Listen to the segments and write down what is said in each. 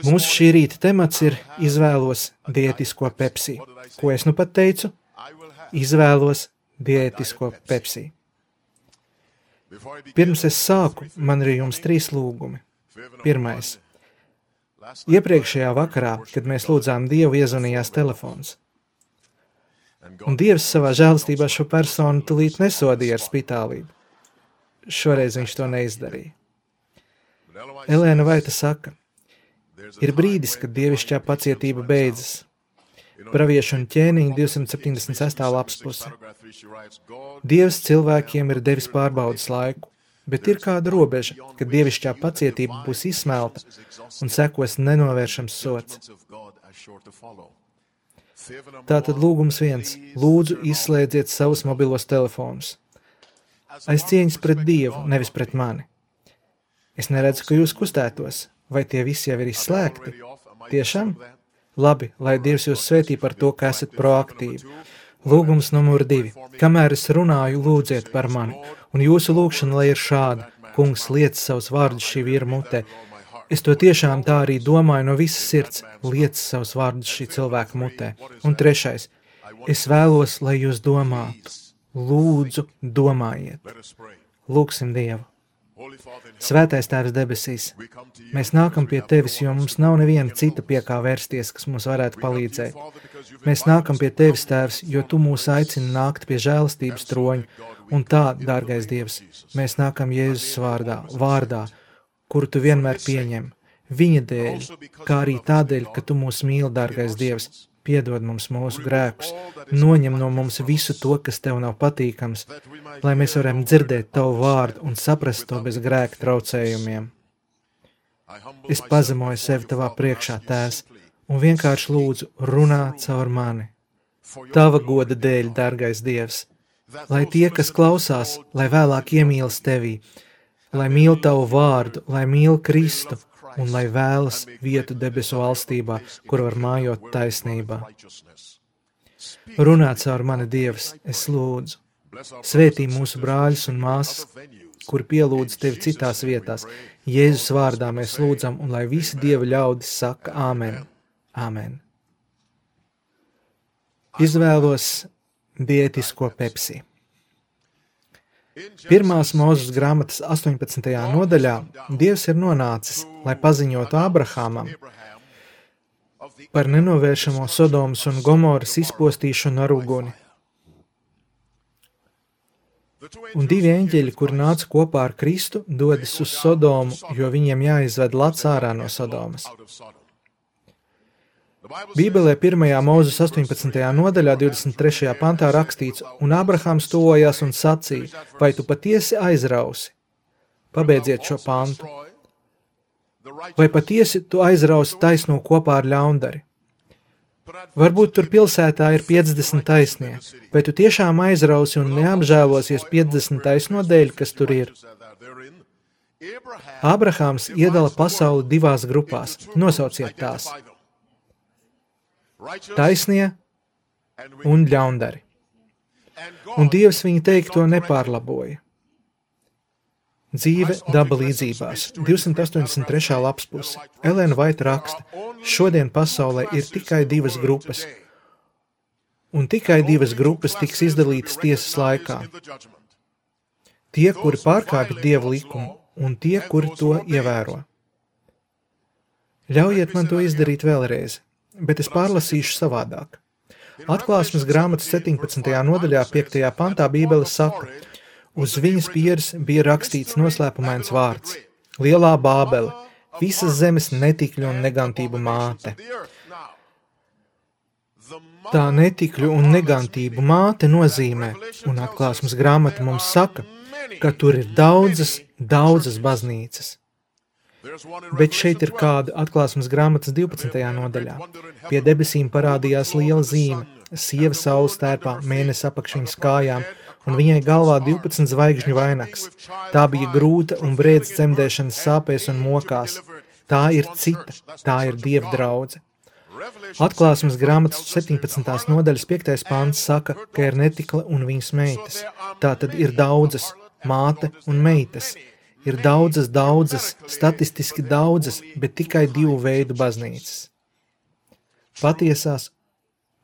Mūsu šī rīta temats ir izvēlos diētisko Pepsi. Ko es nu pat teicu? Izvēlos diētisko Pepsi. Pirms es sāku, man ir jums 3 lūgumi. Pirmais. Iepriekšējā vakarā, kad mēs lūdzām Dievu, iezvanījās telefons. Un Dievs savā žēlastībā šo personu tulīt nesodīja ar spitālību. Šoreiz viņš to neizdarīja. Elēna Vaita saka, ir brīdis, kad dievišķā pacietība beidzas. Praviešu un ķēniņa 276. lapspuse. Dievs cilvēkiem ir devis pārbaudas laiku, bet ir kāda robeža, kad dievišķā pacietība būs izsmelta un sekos nenovēršams sots. Tātad lūgums 1. Lūdzu, izslēdziet savus mobilos telefonus. Aiz cieņas pret Dievu, nevis pret mani. Es neredzu, ka jūs kustētos. Vai tie visi jau ir izslēgti? Tiešām? Labi, lai Dievs jūs svētī par to, ka esat proaktīvi. Lūgums numur 2. Kamēr es runāju, lūdziet par mani. Un jūsu lūgšana, lai ir šāda. Kungs, liec savus vārdus šī vīra mutē. Es to tiešām tā arī domāju no visas sirds. Liec savus vārdus šī cilvēka mutē. Un 3. Es vēlos, lai jūs domātu. Lūdzu, domājiet. Lūgsim Dievu. Svētais Tēvs debesīs, mēs nākam pie Tevis, jo mums nav neviena cita pie kā vērsties, kas mums varētu palīdzēt. Mēs nākam pie Tevis, Tēvs, jo Tu mūs aicini nākt pie žēlastības troņa. Un tā, dārgais Dievs, mēs nākam Jēzus vārdā, kuru Tu vienmēr pieņem. Viņa dēļ, kā arī tādēļ, ka Tu mūs mīli, dārgais Dievs, piedod mums mūsu grēkus, noņem no mums visu to, kas Tev nav patīkams, lai mēs varam dzirdēt Tavu vārdu un saprast to bez grēka traucējumiem. Es pazemoju sevi Tavā priekšā, Tēvs, un vienkārši lūdzu runā caur mani. Tava goda dēļ, dārgais Dievs, lai tie, kas klausās, lai vēlāk iemīlas Tevī, lai mīl Tavu vārdu, lai mīl Kristu, un lai vēlas vietu debesu valstībā, kur var mājot taisnībā. Runā caur mani, Dievs, es lūdzu. Svētī mūsu brāļus un māsas, kuri pielūdz Tevi citās vietās. Jēzus vārdā mēs lūdzam, un lai visi Dieva ļaudis saka āmen. Āmen. Izvēlos diētisko Pepsi. 1. Mūzes grāmatas 18. nodaļā Dievs ir nonācis, lai paziņotu Ābrahamam par nenovēršamo Sodomas un Gomoras izpostīšanu ar uguni. Un 2 eņģeļi, kuri nāca kopā ar Kristu, dodas uz Sodomu, jo viņiem jāizved Lats ārā no Sodomas. Bībelē 1. Mūzes 18. nodaļā 23. pantā rakstīts, un Ābrahams tuvojās un sacīja, vai tu patiesi aizrausi? Pabeidziet šo pantu. Vai patiesi tu aizrausi taisno kopā ar ļaundari? Varbūt tur pilsētā ir 50 taisnie, vai tu tiešām aizrausi un neapžēlosies 50 taisno dēļ, kas tur ir? Ābrahams iedala pasauli 2 grupās. Nosauciet tās. Taisnie un ļaundari. Un Dievs viņa teikto nepārlaboja. Dzīve daba līdzībās. 283. lapspuse. Elēna Vaita raksta, šodien pasaulē ir tikai 2 grupas. Un tikai 2 grupas tiks izdalītas tiesas laikā. Tie, kuri pārkāpj Dieva likumu, un tie, kuri to ievēro. Ļaujiet man to izdarīt vēlreiz. Bet es pārlasīšu savādāk. Atklāsmes grāmatas 17. nodaļā 5. pantā Bībele saka, uz viņas pieres bija rakstīts noslēpumains vārds. Lielā Bābele, visas zemes netikļu un negantību māte. Tā netikļu un negantību māte nozīmē, un Atklāsmes grāmata mums saka, ka tur ir daudzas baznīcas. Bet šeit ir kāda Atklāsmes grāmatas 12. nodaļā. Pie debesīm parādījās liela zīme, sieva saules tērpā, mēnesi apakš viņas kājām, un viņai galvā 12 zvaigžņu vainags. Tā bija grūta un brēdz cemdēšanas sāpēs un mokās. Tā ir cita, tā ir Dieva draudze. Atklāsmes grāmatas 17. nodaļas 5. pants saka, ka ir netikla un viņas meitas. Tā tad ir daudzas, māte un meitas. ir daudzas, statistiski daudzas, bet tikai 2 veidu baznīcas. Patiesās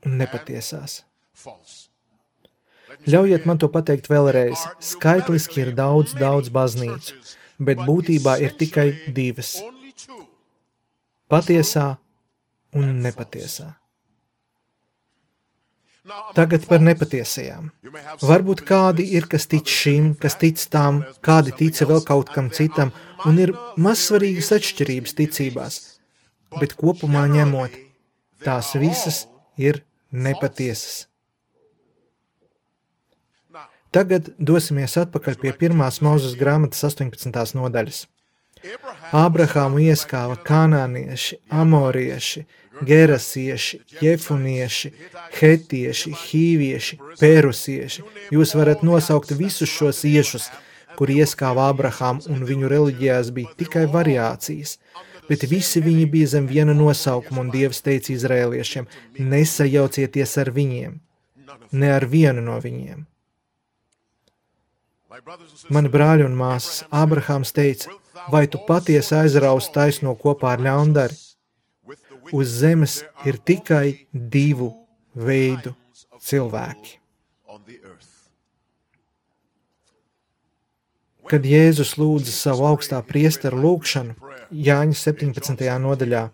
un nepatiesās. Ļaujiet man to pateikt vēlreiz. Skaitliski ir daudz baznīcu, bet būtībā ir tikai 2. Patiesā un nepatiesā. Tagad par nepatiesajām. Varbūt kādi ir, kas tic šim, kas tic tam, kādi tica vēl kaut kam citam, un ir mazsvarīgas atšķirības ticībās, bet kopumā ņemot, tās visas ir nepatiesas. Tagad dosimies atpakaļ pie 1. Mūzes grāmatas 18. nodaļas. Ābrahāmu ieskāva kanānieši, amorieši, gerasieši, jefunieši, hetieši, hīvieši, perusieši. Jūs varat nosaukt visus šos iešus, kur ieskāva Ābrahāmu, un viņu reliģijās bija tikai variācijas, bet visi viņi bija zem viena nosaukuma, un Dievs teica izraēliešiem, nesajaucieties ar viņiem, ne ar vienu no viņiem. Mani brāļi un māsas, Ābrahāms teica, vai tu patiesi aizraus taisno kopā ar ļaundari? Uz zemes ir tikai 2 veidu cilvēki. Kad Jēzus lūdza savu augstā priesteru lūgšanu, Jāņa 17. nodaļā,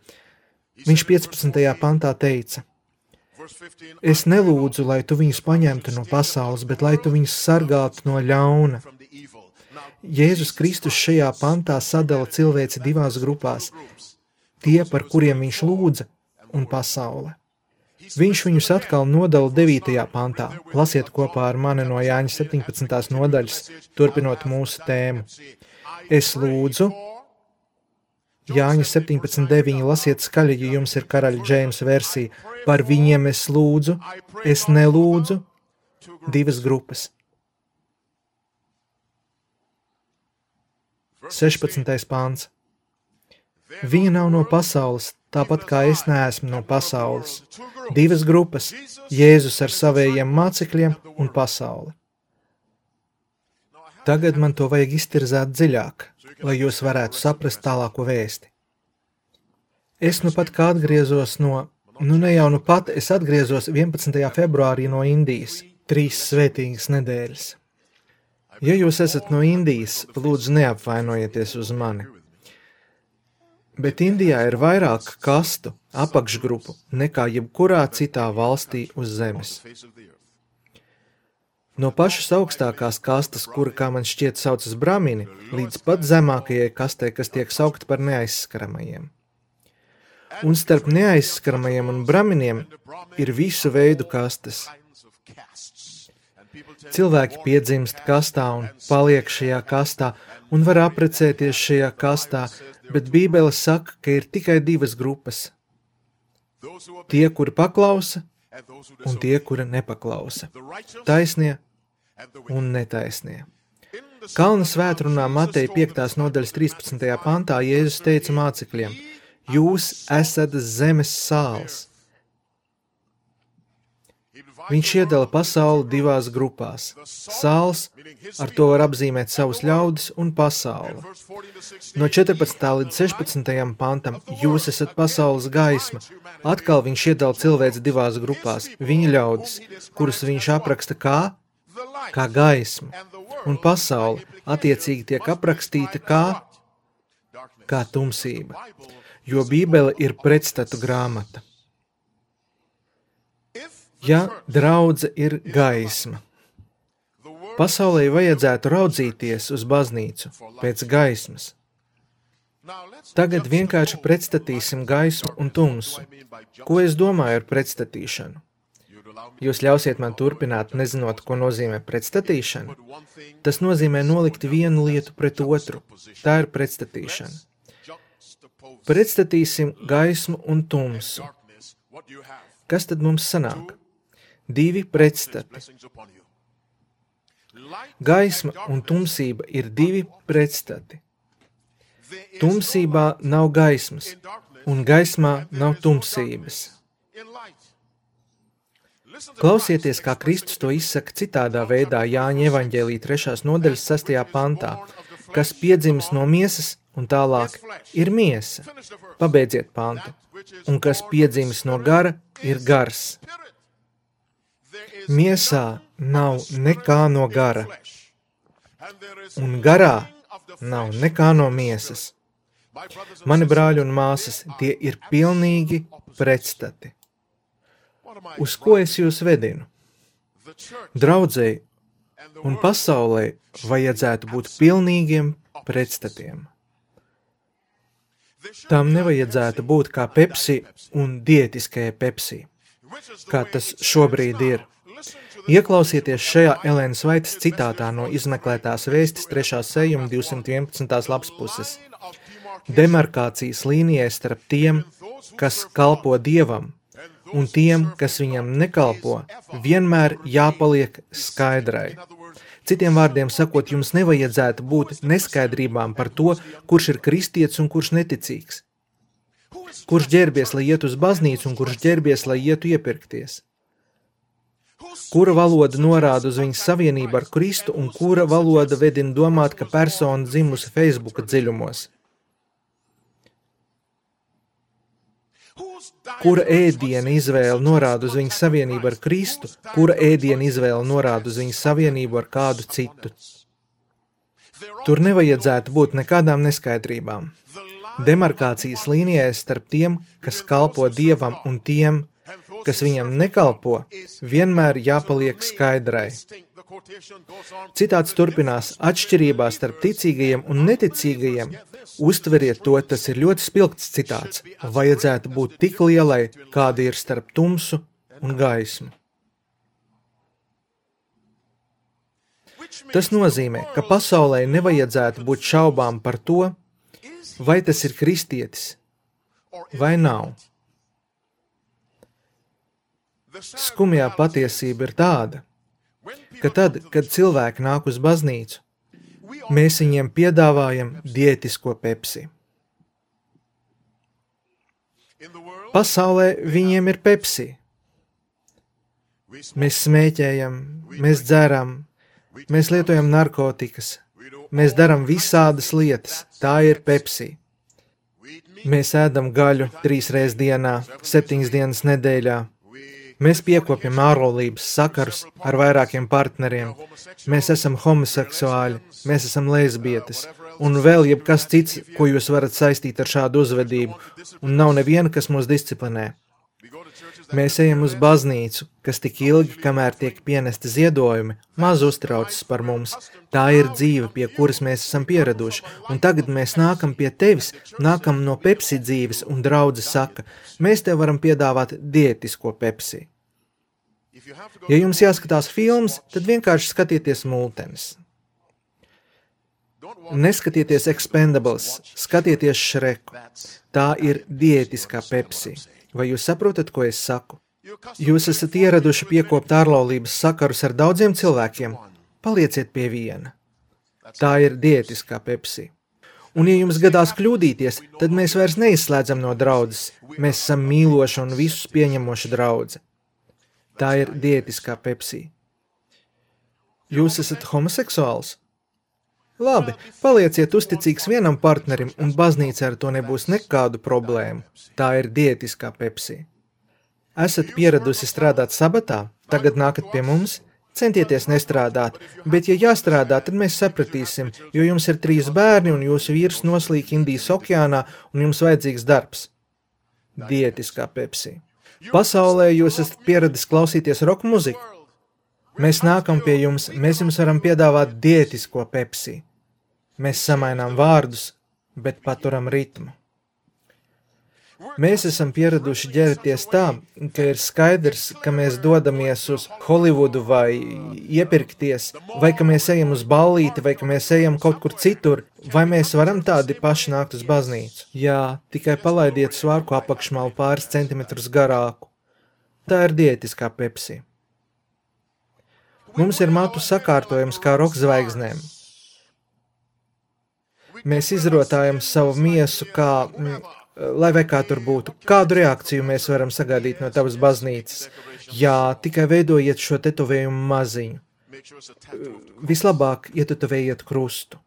viņš 15. pantā teica, es nelūdzu, lai tu viņus paņemtu no pasaules, bet lai tu viņus sargātu no ļauna. Jēzus Kristus šajā pantā sadala cilvēci 2 grupās, tie, par kuriem viņš lūdza, un pasaule. Viņš viņus atkal nodala 9. pantā. Lasiet kopā ar mani no Jāņa 17. nodaļas, turpinot mūsu tēmu. Es lūdzu, Jāņa 17.9, lasiet skaļi, ja jums ir karaļa Džeimsa versija, par viņiem es lūdzu, es nelūdzu, 2 grupas. 16. pāns. Viņa nav no pasaules, tāpat kā es neesmu no pasaules. 2 grupas, Jēzus ar savējiem mācekļiem un pasauli. Tagad man to vajag iztirzēt dziļāk, lai jūs varētu saprast tālāko vēsti. Es nu pat kā atgriezos es atgriezos 11. februārī no Indijas, 3 svētīgas nedēļas. Ja jūs esat no Indijas, lūdzu neapvainojieties uz mani. Bet Indijā ir vairāk kastu, apakšgrupu, nekā jebkurā citā valstī uz zemes. No pašas augstākās kastas, kura, kā man šķiet, saucas bramini, līdz pat zemākajai kastei, kas tiek saukta par neaizskaramajiem. Un starp neaizskaramajiem un braminiem ir visu veidu kastes. Cilvēki piedzimst kastā un paliek šajā kastā un var apprecēties šajā kastā, bet Bībele saka, ka ir tikai 2 grupas. Tie, kuri paklausa, un tie, kuri nepaklausa. Taisnie un netaisnie. Kalna svētrunā Mateja 5. nodaļas 13. pantā Jēzus teica mācekļiem, jūs esat zemes sāls. Viņš iedala pasauli 2 grupās. Sāls, ar to var apzīmēt savus ļaudis, un pasauli. No 14. līdz 16. pantam jūs esat pasaules gaisma. Atkal viņš iedala cilvēci 2 grupās. Viņa ļaudis, kurus viņš apraksta kā gaismu, un pasauli attiecīgi tiek aprakstīta kā tumsība, jo Bībele ir pretstatu grāmata. Ja draudze ir gaisma, pasaulē vajadzētu raudzīties uz baznīcu pēc gaismas. Tagad vienkārši pretstatīsim gaismu un tumsu. Ko es domāju ar pretstatīšanu? Jūs ļausiet man turpināt, nezinot, ko nozīmē pretstatīšana? Tas nozīmē nolikt vienu lietu pret otru. Tā ir pretstatīšana. Pretstatīsim gaismu un tumsu. Kas tad mums sanāk? 2 pretstati. Gaisma un tumsība ir 2 pretstati. Tumsībā nav gaismas, un gaismā nav tumsības. Klausieties, kā Kristus to izsaka citādā veidā Jāņa evaņģēlija 3. nodaļas 6. pantā. kas piedzimis no miesas un tālāk ir miesa. Pabeidziet pantu. Un kas piedzimis no gara ir gars. Miesā nav nekā no gara. Un garā nav nekā no miesas. Mani brāļi un māsas, tie ir pilnīgi pretstati. Uz ko es jūs vedinu? Draudzei un pasaulē vajadzētu būt pilnīgiem pretstatiem. Tam nevajadzētu būt kā Pepsi un diētiskajai Pepsi, kā tas šobrīd ir. Ieklausieties šajā Elenas Vaitas citātā no izmeklētās vēstis 3. sējuma 211. lapspuses. Demarkācijas līnijai starp tiem, kas kalpo Dievam, un tiem, kas viņam nekalpo, vienmēr jāpaliek skaidrai. Citiem vārdiem sakot, jums nevajadzētu būt neskaidrībām par to, kurš ir kristietis un kurš neticīgs. Kurš ģērbies, lai iet uz baznīcu un kurš ģērbies, lai ietu iepirkties. Kura valoda norāda uz viņas savienību ar Kristu un kura valoda vedina domāt, ka persona dzimusi Facebooka dziļumos. Kura ēdiena izvēle norāda uz viņas savienību ar Kristu, kura ēdiena izvēle norāda uz viņas savienību ar kādu citu. Tur nevajadzētu būt nekādām neskaidrībām. Demarkācijas līnijai starp tiem, kas kalpo Dievam un tiem, kas viņam nekalpo, vienmēr jāpaliek skaidrai. Citāts turpinās, atšķirībā starp ticīgajiem un neticīgajiem, uztveriet to, tas ir ļoti spilgts citāts, vajadzētu būt tik lielai, kāda ir starp tumsu un gaismu. Tas nozīmē, ka pasaulē nevajadzētu būt šaubām par to, vai tas ir kristietis vai nav. Skumjā patiesība ir tāda, ka tad, kad cilvēki nāk uz baznīcu, mēs viņiem piedāvājam diētisko Pepsi. Pasaulē viņiem ir Pepsi. Mēs smēķējam, mēs dzeram, mēs lietojam narkotikas, mēs daram visādas lietas, tā ir Pepsi. Mēs ēdam gaļu 3 reizes dienā, 7 dienas nedēļā. Mēs piekopjam ārlaulības sakarus ar vairākiem partneriem. Mēs esam homoseksuāļi, mēs esam lesbietes. Un vēl jebkas cits, ko jūs varat saistīt ar šādu uzvedību. Un nav neviena, kas mūs disciplinē. Mēs ejam uz baznīcu, kas tik ilgi, kamēr tiek pienesti ziedojumi, maz uztraucas par mums. Tā ir dzīve, pie kuras mēs esam pieraduši. Un tagad mēs nākam pie tevis, nākam no Pepsi dzīves, un draudze saka, mēs tev varam piedāvāt diētisko Pepsi. Ja jums jāskatās filmas, tad vienkārši skatieties multenes. Neskatieties Expendables, skatieties Šreku. Tā ir diētiskā Pepsi. Vai jūs saprotat, ko es saku? Jūs esat ieraduši piekopt ārlaulības sakarus ar daudziem cilvēkiem. Palieciet pie viena. Tā ir diētiskā Pepsi. Un ja jums gadās kļūdīties, tad mēs vairs neizslēdzam no draudzes. Mēs esam mīloša un visus pieņemoša draudze. Tā ir diētiskā Pepsi. Jūs esat homoseksuāls? Labi, palieciet uzticīgs vienam partnerim, un baznīca ar to nebūs nekādu problēmu. Tā ir diētiskā Pepsi. Esat pieradusi strādāt sabatā, tagad nākat pie mums? Centieties nestrādāt, bet ja jāstrādā, tad mēs sapratīsim, jo jums ir 3 bērni un jūsu vīrs noslīk Indijas okeānā un jums vajadzīgs darbs. Diētiskā Pepsi. Pasaulē jūs esat pieradis klausīties roka muziku. Mēs nākam pie jums, mēs jums varam piedāvāt diētisko Pepsi. Mēs samainām vārdus, bet paturam ritmu. Mēs esam pieraduši ģērties tā, ka ir skaidrs, ka mēs dodamies uz Holivudu vai iepirkties, vai ka mēs ejam uz ballīti, vai ka mēs ejam kaut kur citur, vai mēs varam tādi paši nākt uz baznīcu. Jā, tikai palaidiet svārku apakšmalu pāris centimetrus garāku. Tā ir diētiskā Pepsi. Mums ir matu sakārtojums kā rokzvaigznēm. Mēs izrotājam savu miesu kā, lai vai kā tur būtu, kādu reakciju mēs varam sagaidīt no tavas baznīcas. Jā, tikai veidojiet šo tetovējumu maziņu. Vislabāk ietetovējiet krustu.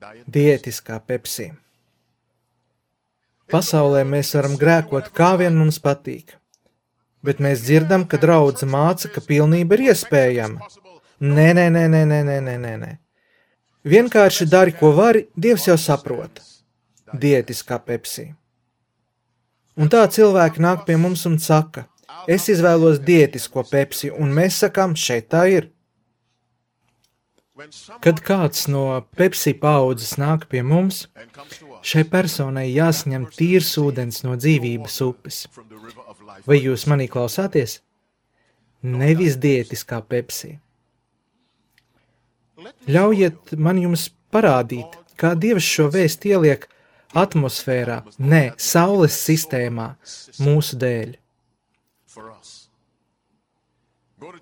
Diētiskā Pepsi. Pasaulē mēs varam grēkot, kā vien mums patīk, bet mēs dzirdam, ka draudze māca, ka pilnība ir iespējama. Nē. Vienkārši dari, ko vari, Dievs jau saprot. Diētiskā Pepsi. Un tā cilvēki nāk pie mums un saka, es izvēlos diētisko Pepsi, un mēs sakām, šeit tā ir. Kad kāds no Pepsi paaudzes nāk pie mums, šai personai jāsaņem tīrs ūdens no dzīvības upes. Vai jūs manī klausāties? Nevis diētiskā Pepsi. Ļaujiet man jums parādīt, kā Dievs šo vēstu ieliek atmosfērā, saules sistēmā, mūsu dēļ.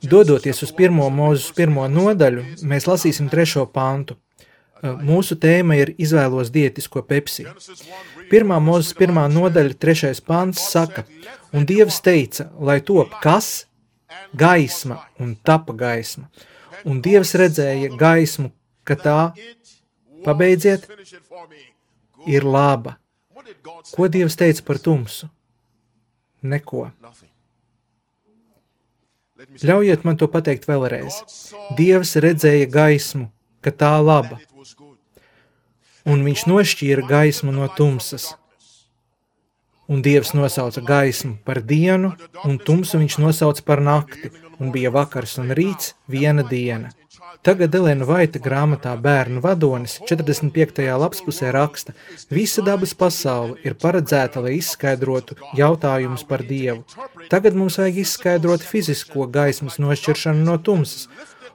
Dodoties uz 1. Mūzes 1. nodaļu, mēs lasīsim 3. pantu. Mūsu tēma ir izvēlos diētisko Pepsi. 1. Mūzes 1. nodaļa 3. pants saka, un Dievs teica, lai top kas? Gaisma, un tapa gaisma. Un Dievs redzēja gaismu, ka tā, pabeidziet, ir laba. Ko Dievs teica par tumsu? Neko. Ļaujiet man to pateikt vēlreiz. Dievs redzēja gaismu, ka tā laba. Un viņš nošķīra gaismu no tumsas. Un Dievs nosauca gaismu par dienu, un tumsu viņš nosauca par nakti, un bija vakars un rīts viena diena. Tagad Elena Vaita grāmatā Bērnu vadonis 45. lapspusē raksta, visa dabas pasaule ir paredzēta, lai izskaidrotu jautājumus par Dievu. Tagad mums vajag izskaidrot fizisko gaismas nošķiršanu no tumsas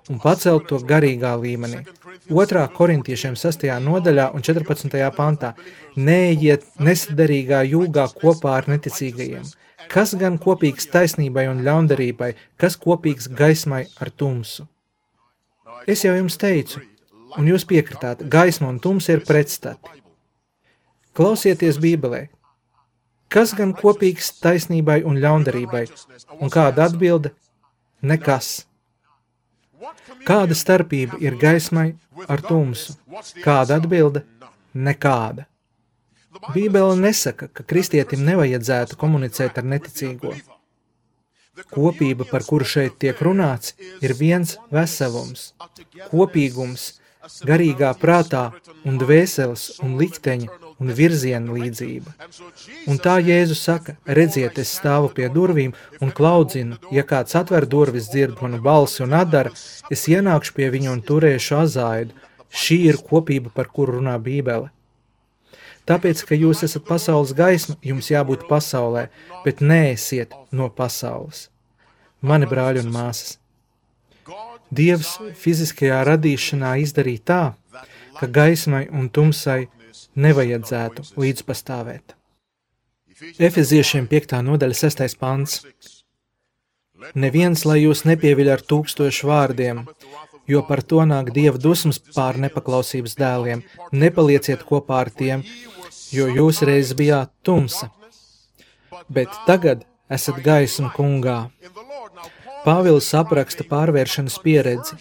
un pacelt to garīgā līmenī. 2. Korintiešiem 6. nodaļā un 14. pantā neejiet nesadarīgā jūgā kopā ar neticīgajiem. Kas gan kopīgs taisnībai un ļaundarībai, kas kopīgs gaismai ar tumsu? Es jau jums teicu, un jūs piekritāt, gaisma un tumsa ir pretstati. Klausieties Bībelē. Kas gan kopīgs taisnībai un ļaundarībai? Un kāda atbilde? Nekas. Kāda starpība ir gaismai ar tumsu? Kāda atbilde? Nekāda. Bībele nesaka, ka kristietim nevajadzētu komunicēt ar neticīgo. Kopība, par kuru šeit tiek runāts, ir viens veselums, kopīgums, garīgā prātā un dvēseles un likteņa un virziena līdzība. Un tā Jēzus saka, redziet, es stāvu pie durvīm un klaudzinu, ja kāds atver durvis, dzird manu balsi un atdara, es ienākšu pie viņa un turēšu azāidu. Šī ir kopība, par kuru runā Bībele. Tāpēc, ka jūs esat pasaules gaisma, jums jābūt pasaulē, bet neesiet no pasaules. Mani brāļi un māsas. Dievs fiziskajā radīšanā izdarīja tā, ka gaismai un tumsai nevajadzētu līdzpastāvēt. Efeziešiem 5. nodaļa 6. pants. Neviens, lai jūs nepieviļ ar 1000 vārdiem, jo par to nāk Dieva dusmas pār nepaklausības dēliem. Nepalieciet kopā ar tiem, jo jūs reiz bijāt tumsa, bet tagad esat gaisma kungā. Pāvils apraksta pārvēršanas pieredzi.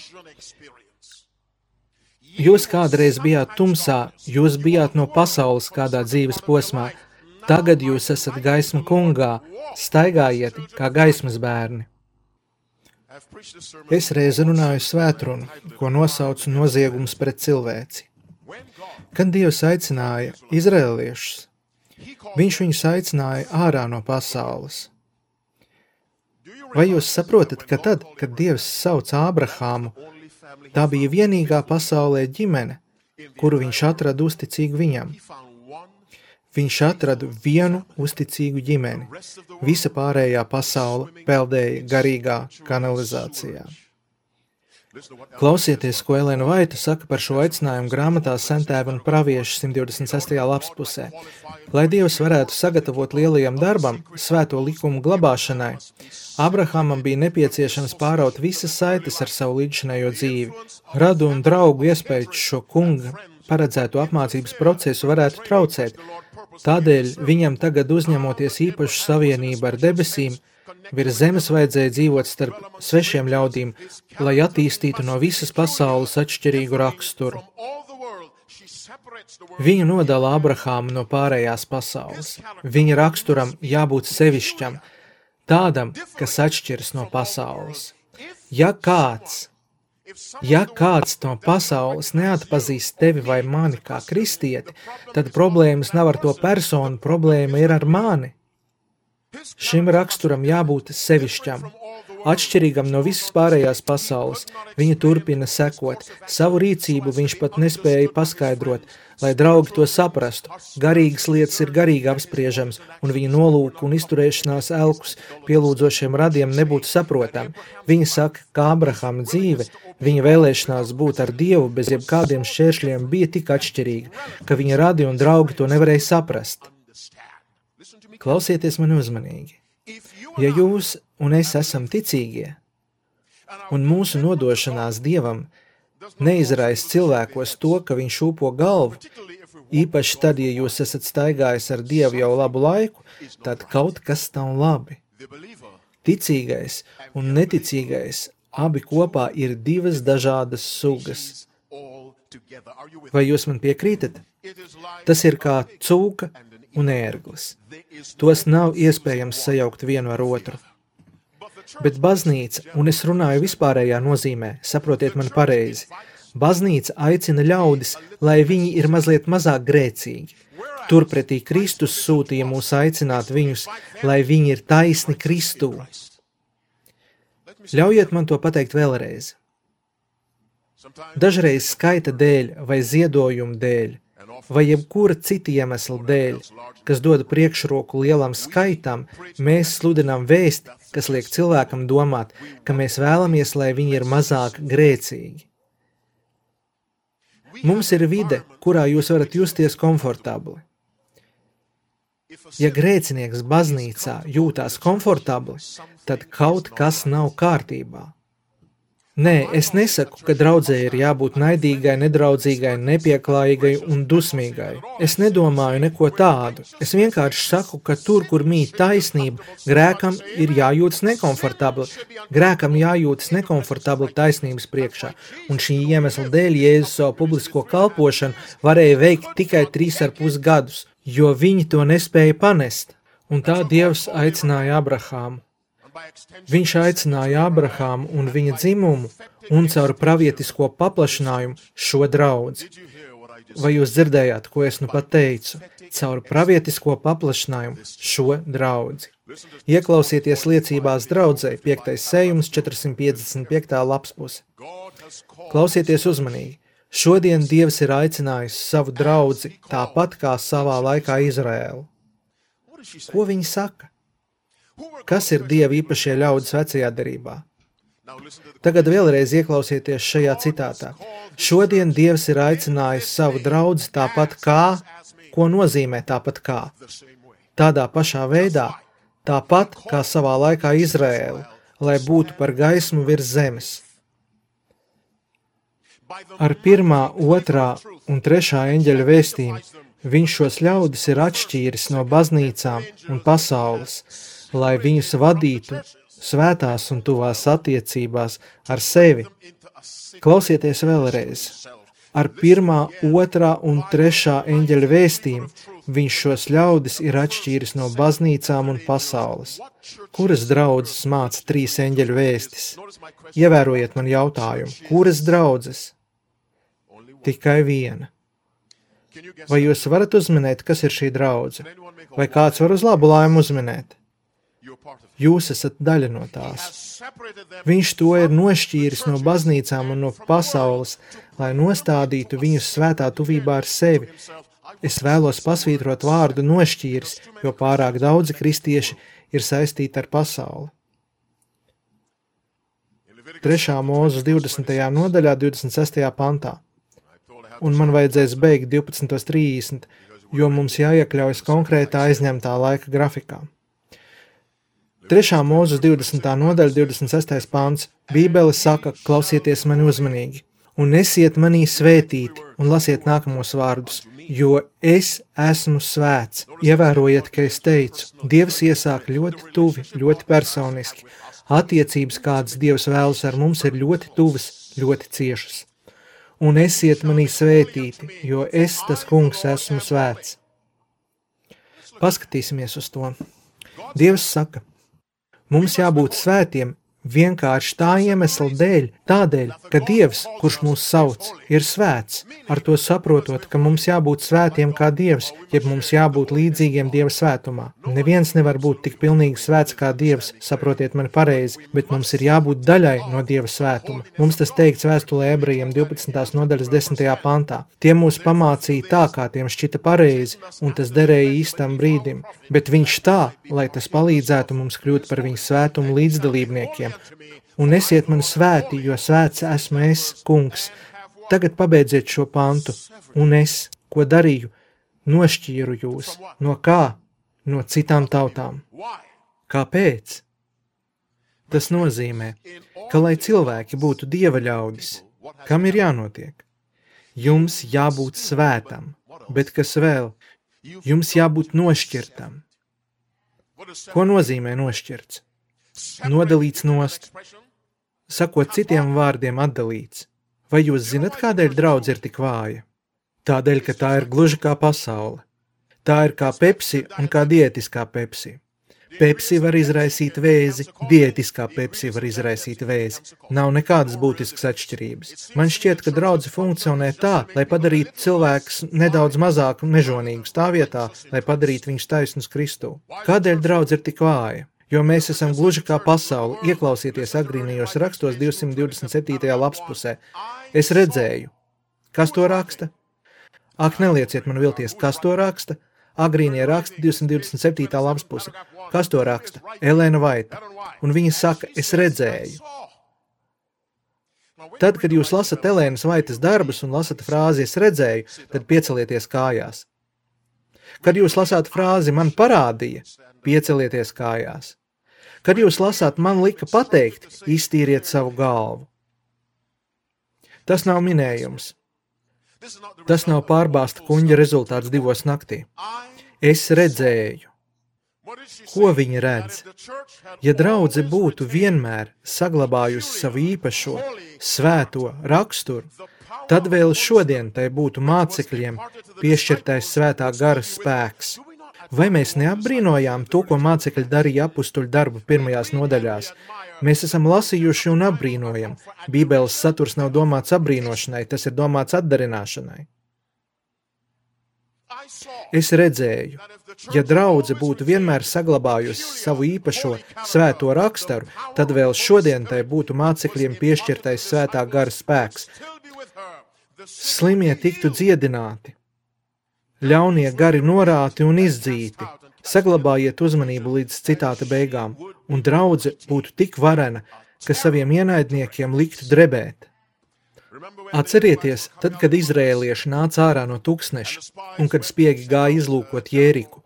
Jūs kādreiz bijāt tumsā, jūs bijāt no pasaules kādā dzīves posmā, tagad jūs esat gaisma kungā, staigājiet kā gaismas bērni. Es reiz runāju svētrunu, ko nosaucu noziegums pret cilvēci. Kad Dievs aicināja izraēliešus, viņš viņus aicināja ārā no pasaules. Vai jūs saprotat, ka tad, kad Dievs sauca Ābrahāmu, tā bija vienīgā pasaulē ģimene, kuru viņš atrada uzticīgu viņam? Viņš atrada vienu uzticīgu ģimeni. Visa pārējā pasaule peldēja garīgā kanalizācijā. Klausieties, ko Elena Vaita saka par šo aicinājumu grāmatā Sentēva un pravieši 126. lapspusē. Lai Dievs varētu sagatavot lielajam darbam, svēto likumu glabāšanai, Abrahamam bija nepieciešams pāraut visas saites ar savu līdzinējo dzīvi. Radu un draugu iespējas šo kunga paredzēto apmācības procesu varētu traucēt. Tādēļ viņam tagad uzņemoties īpašu savienību ar debesīm, virs zemes vajadzēja dzīvot starp svešiem ļaudīm, lai attīstītu no visas pasaules atšķirīgu raksturu. Viņu nodala Abrahāmu no pārējās pasaules. Viņa raksturam jābūt sevišķam, tādam, kas atšķiras no pasaules. Ja kāds no pasaules neatpazīst tevi vai mani kā kristieti, tad problēmas nav ar to personu, problēma ir ar mani. Šim raksturam jābūt sevišķam, atšķirīgam no visas pārējās pasaules. Viņa turpina sekot. Savu rīcību viņš pat nespēja paskaidrot, lai draugi to saprastu. Garīgas lietas ir garīgi apspriežams, un viņa nolūku un izturēšanās elkus pielūdzošiem radiem nebūtu saprotami. Viņa saka, ka Abrahama dzīve, viņa vēlēšanās būt ar Dievu bez jebkādiem šķēršļiem bija tik atšķirīga, ka viņa radi un draugi to nevarēja saprast. Klausieties mani uzmanīgi. Ja jūs un es esam ticīgie, un mūsu nodošanās Dievam neizraisa cilvēkos to, ka viņš šūpo galvu, īpaši tad, ja jūs esat staigājis ar Dievu jau labu laiku, tad kaut kas nav labi. Ticīgais un neticīgais abi kopā ir divas dažādas sugas. Vai jūs man piekrītat? Tas ir kā cūka un ērglis. Tos nav iespējams sajaukt vienu ar otru. Bet baznīca, un es runāju vispārējā nozīmē, saprotiet man pareizi, baznīca aicina ļaudis, lai viņi ir mazliet mazāk grēcīgi. Turpretī Kristus sūtīja mūs aicināt viņus, lai viņi ir taisni Kristū. Ļaujiet man to pateikt vēlreiz. Dažreiz skaita dēļ vai ziedojumu dēļ, vai jebkura cita iemesla dēļ, kas dod priekšroku lielam skaitam, mēs sludinām vēsti, kas liek cilvēkam domāt, ka mēs vēlamies, lai viņi ir mazāk grēcīgi. Mums ir vide, kurā jūs varat justies komfortabli. Ja grēcinieks baznīcā jūtās komfortabli, tad kaut kas nav kārtībā. Nē, es nesaku, ka draudzē ir jābūt naidīgai, nedraudzīgai, nepieklājīgai un dusmīgai. Es nedomāju neko tādu. Es vienkārši saku, ka tur, kur mīt taisnība, grēkam ir jājūtas nekomfortabli. Grēkam jājūtas nekomfortabli taisnības priekšā. Un šī iemesla dēļ Jēzus savu publisko kalpošanu varēja veikt tikai 3,5 gadus, jo viņi to nespēja panest. Un tā Dievs aicināja Abrahāmu. Viņš aicināja Abrahāmu un viņa dzimumu un caur pravietisko paplašinājumu šo draudzi. Vai jūs dzirdējāt, ko es nu pat teicu? Caur pravietisko paplašinājumu šo draudzi. Ieklausieties liecībās draudzē, 5. sējums, 455. lapspuse. Klausieties uzmanīgi. Šodien Dievs ir aicinājis savu draudzi tāpat kā savā laikā Izraēlu. Ko viņi saka? Kas ir Dieva īpašie ļaudis vecajā derībā? Tagad vēlreiz ieklausieties šajā citātā. Šodien Dievs ir aicinājis savu draudzi tāpat kā, ko nozīmē tāpat kā? Tādā pašā veidā, tāpat kā savā laikā Izraēla, lai būtu par gaismu virs zemes. Ar 1., 2. un 3. eņģeļa vēstījumu viņš šos ļaudis ir atšķīris no baznīcām un pasaules, lai viņus vadītu svētās un tuvās attiecībās ar sevi. Klausieties vēlreiz. Ar 1., 2. un 3. eņģeļa vēstījumu viņš šos ļaudis ir atšķīris no baznīcām un pasaules. Kuras draudzes māca 3 eņģeļu vēstis? Ievērojiet man jautājumu. Kuras draudzes? Tikai viena. Vai jūs varat uzminēt, kas ir šī draudze? Vai kāds var uz labu laimu uzminēt? Jūs esat daļa no tās. Viņš to ir nošķīris no baznīcām un no pasaules, lai nostādītu viņus svētā tuvībā ar sevi. Es vēlos pasvītrot vārdu nošķīris, jo pārāk daudzi kristieši ir saistīti ar pasauli. 3. Mūzes 20. nodaļā, 26. pantā. Un man vajadzēs beigt 12:30, jo mums jāiekļaujas konkrētā aizņemtā laika grafikā. 3. Mūzes 20. nodaļa, 26. pants. Bībele saka, klausieties mani uzmanīgi, un esiet manī svētīti, un lasiet nākamos vārdus, jo es esmu svēts. Ievērojiet, ka es teicu, Dievs iesāk ļoti tuvi, ļoti personiski. Attiecības, kādas Dievs vēlas ar mums, ir ļoti tuvas, ļoti ciešas. un esiet manī svētīti, jo es, tas kungs, esmu svēts. Paskatīsimies uz to. Dievs saka, mums jābūt svētiem vienkārši tā iemesla dēļ, tādēļ, ka Dievs, kurš mūs sauc, ir svēts, ar to saprotot, ka mums jābūt svētiem kā Dievs, jeb mums jābūt līdzīgiem Dieva svētumā. Neviens nevar būt tik pilnīgi svēts kā Dievs, saprotiet mani pareizi, bet mums ir jābūt daļai no Dieva svētuma. Mums tas teikts vēstulē Ebrejiem 12. nodaļas 10. pantā. Tie mūs pamācīja tā, kā tiem šķita pareizi, un tas derēja īstam brīdim, bet viņš tā, lai tas palīdzētu mums kļūt par viņa svētumu līdzdalībniekiem. Un esiet man svēti, jo svēts esmu es, kungs. Tagad pabeidziet šo pantu. Un es, ko darīju, nošķīru jūs. No kā? No citām tautām. Kāpēc? Tas nozīmē, ka, lai cilvēki būtu Dieva ļaudis, kam ir jānotiek? Jums jābūt svētam, bet kas vēl? Jums jābūt nošķirtam. Ko nozīmē nošķirts? Nodalīts nost. Sakot citiem vārdiem atdalīts. Vai jūs zinat, kādēļ draudz ir tik vāja? Tādēļ, ka tā ir gluži kā pasaule. Tā ir kā Pepsi un kā diētiskā Pepsi. Pepsi var izraisīt vēzi, diētiskā Pepsi var izraisīt vēzi. Nav nekādas būtiskas atšķirības. Man šķiet, ka draudze funkcionē tā, lai padarītu cilvēkus nedaudz mazāk mežonīgus tā vietā, lai padarītu viņus taisnus Kristū. Kādēļ draudze ir tik vāja? Jo mēs esam gluži kā pasauli, ieklausieties agrīnajos rakstos 227. lapspusē. Es redzēju. Kas to raksta? Ak, nelieciet man vilties, kas to raksta? Agrīnie raksti 227. lapspuse. Kas to raksta? Elēna Vaita. Un viņa saka, es redzēju. Tad, kad jūs lasat Elēnas Vaitas darbus un lasat frāzi es redzēju, tad piecelieties kājās. Kad jūs lasāt frāzi man parādīja, piecelieties kājās. Kad jūs lasāt man lika pateikt, iztīriet savu galvu. Tas nav minējums. Tas nav pārbāsta kuņģa rezultāts 2 naktī. Es redzēju. Ko viņi redz? Ja draudze būtu vienmēr saglabājusi savu īpašo, svēto raksturu, tad vēl šodien tai būtu mācekļiem piešķirtais svētā gara spēks. Vai mēs neapbrīnojām to, ko mācekļi darīja apustuļu darbu pirmajās nodaļās? Mēs esam lasījuši un apbrīnojam. Bībeles saturs nav domāts apbrīnošanai, tas ir domāts atdarināšanai. Es redzēju, ja draudze būtu vienmēr saglabājusi savu īpašo svēto raksturu, tad vēl šodien tai būtu mācekļiem piešķirtais svētā gara spēks. Slimie tiktu dziedināti. Ļaunie gari norāti un izdzīti, saglabājiet uzmanību līdz citāta beigām, un draudze būtu tik varena, ka saviem ienaidniekiem liktu drebēt. Atcerieties, tad, kad izrēlieši nāca ārā no tuksneša, un kad spiegi gāja izlūkot Jēriku,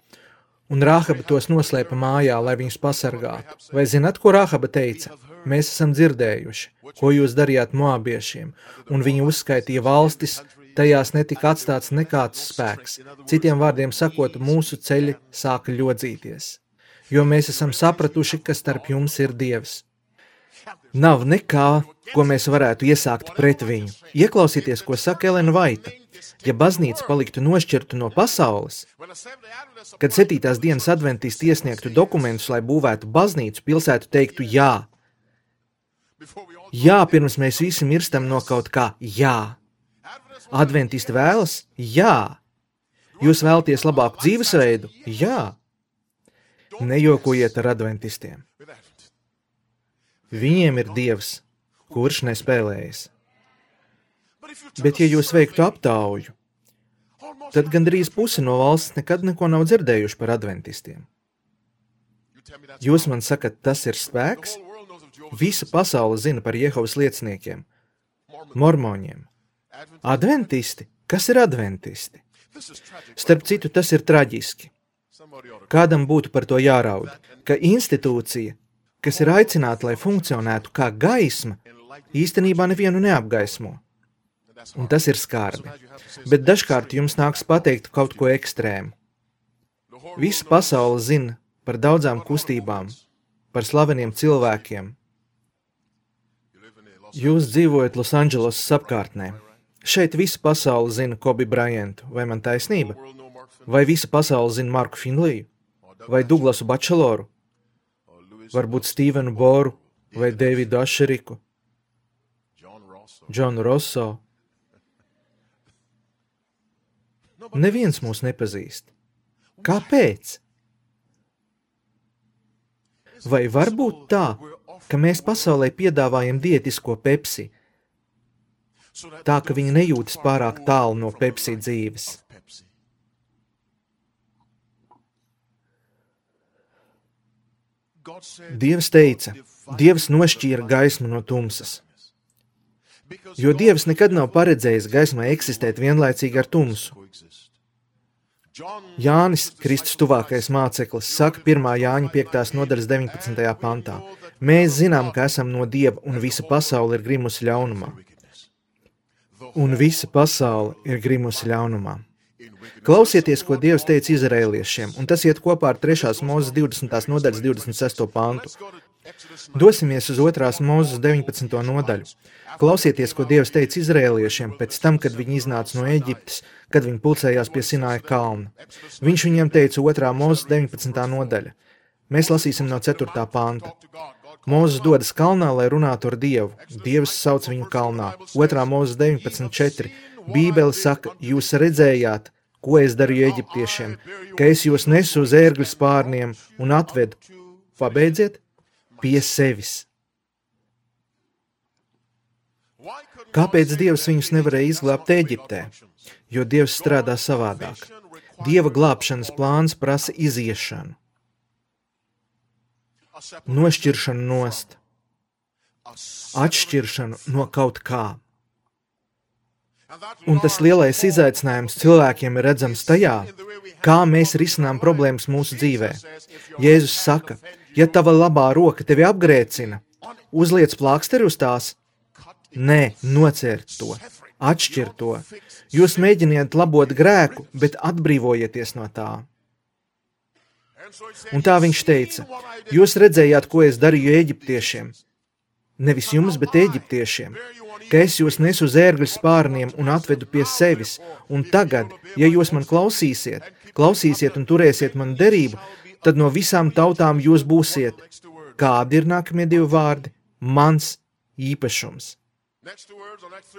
un Rāhaba tos noslēpa mājā, lai viņus pasargātu. Vai zināt, ko Rāhaba teica? Mēs esam dzirdējuši, ko jūs darījāt moabiešiem, un viņi uzskaitīja valstis, tajās netika atstāts nekāds spēks. Citiem vārdiem sakot, mūsu ceļi sāka ļodzīties, jo mēs esam sapratuši, ka starp jums ir Dievs. Nav nekā, ko mēs varētu iesākt pret viņu. Ieklausieties, ko saka Elēna Vaita. Ja baznīca paliktu nošķirta no pasaules, kad 7. dienas adventisti iesniegtu dokumentus, lai būvētu baznīcu, pilsētu teiktu jā. Jā, pirms mēs visi mirstam no kaut kā, jā. Adventisti vēlas? Jā. Jūs vēlaties labāku dzīvesveidu? Jā. Nejokojiet ar adventistiem. Viņiem ir Dievs, kurš nespēlējas. Bet ja jūs veiktu aptauju, tad gandrīz pusi no valsts nekad neko nav dzirdējuši par adventistiem. Jūs man sakat, tas ir spēks? Visa pasaule zina par Jehovas lieciniekiem, mormoņiem. Adventisti? Kas ir adventisti? Starp citu, tas ir traģiski. Kādam būtu par to jāraud, ka institūcija, kas ir aicināta, lai funkcionētu kā gaisma, īstenībā nevienu neapgaismo. Un tas ir skarbi. Bet dažkārt jums nāks pateikt kaut ko ekstrēmu. Visa pasaule zina par daudzām kustībām, par slaveniem cilvēkiem. Jūs dzīvojat Losandželosas apkārtnē. Šeit visa pasaule zina Kobe Bryantu, vai man taisnība? Vai visa pasaule zina Marku Finliju? Vai Douglasu Bačeloru? Varbūt Stevenu Boru vai Davidu Ašeriku? Džonu Rosso? Neviens mūs nepazīst. Kāpēc? Vai var būt tā, ka mēs pasaulē piedāvājam diētisko Pepsi, tā ka viņi nejūtas pārāk tālu no Pepsi dzīves? Dievs teica, Dievs nošķīra gaismu no tumsas, jo Dievs nekad nav paredzējis gaismai eksistēt vienlaicīgi ar tumsu. Jānis, Kristus tuvākais māceklis, saka 1. Jāņa 5. nodaļas 19. pantā. Mēs zinām, ka esam no Dieva, un visa pasaule ir grimusi ļaunumā. Un visa pasaule ir grimusi ļaunumā. Klausieties, ko Dievs teica izraēliešiem, un tas iet kopā ar 3. Mūzes 20. nodaļas 26. pantu. Dosimies uz 2. Mūzes 19. nodaļu. Klausieties, ko Dievs teica izraēliešiem pēc tam, kad viņi iznāca no Eģiptes, kad viņi pulcējās pie Sināja kalna. Viņš viņiem teica 2. Mūzes 19. nodaļa. Mēs lasīsim no 4. panta. Mūzes dodas kalnā, lai runātu ar Dievu. Dievs sauc viņu kalnā. 2. Mūzes 19.4. Bībele saka, jūs redzējāt, ko es darīju eģiptiešiem, ka es jūs nesu uz ērgļu spārniem un atvedu, pabeidziet, pie sevis. Kāpēc Dievs viņus nevarēja izglābt Eģiptē? Jo Dievs strādā savādāk. Dieva glābšanas plāns prasa iziešanu, nošķiršanu nost, atšķiršanu no kaut kā. Un tas lielais izaicinājums cilvēkiem ir redzams tajā, kā mēs risinām problēmas mūsu dzīvē. Jēzus saka, ja tava labā roka tevi apgrēcina, uzliec plāksteri uz tās, nē, nocērt to, atšķir to. Jūs mēģiniet labot grēku, bet atbrīvojieties no tā. Un tā viņš teica, jūs redzējāt, ko es darīju eģiptiešiem. Nevis jums, bet eģiptiešiem. Ka es jūs nesu uz ērgļu spārniem un atvedu pie sevis. Un tagad, ja jūs man klausīsiet un turēsiet man derību, tad no visām tautām jūs būsiet. Kādi ir nākamie 2 vārdi? Mans īpašums.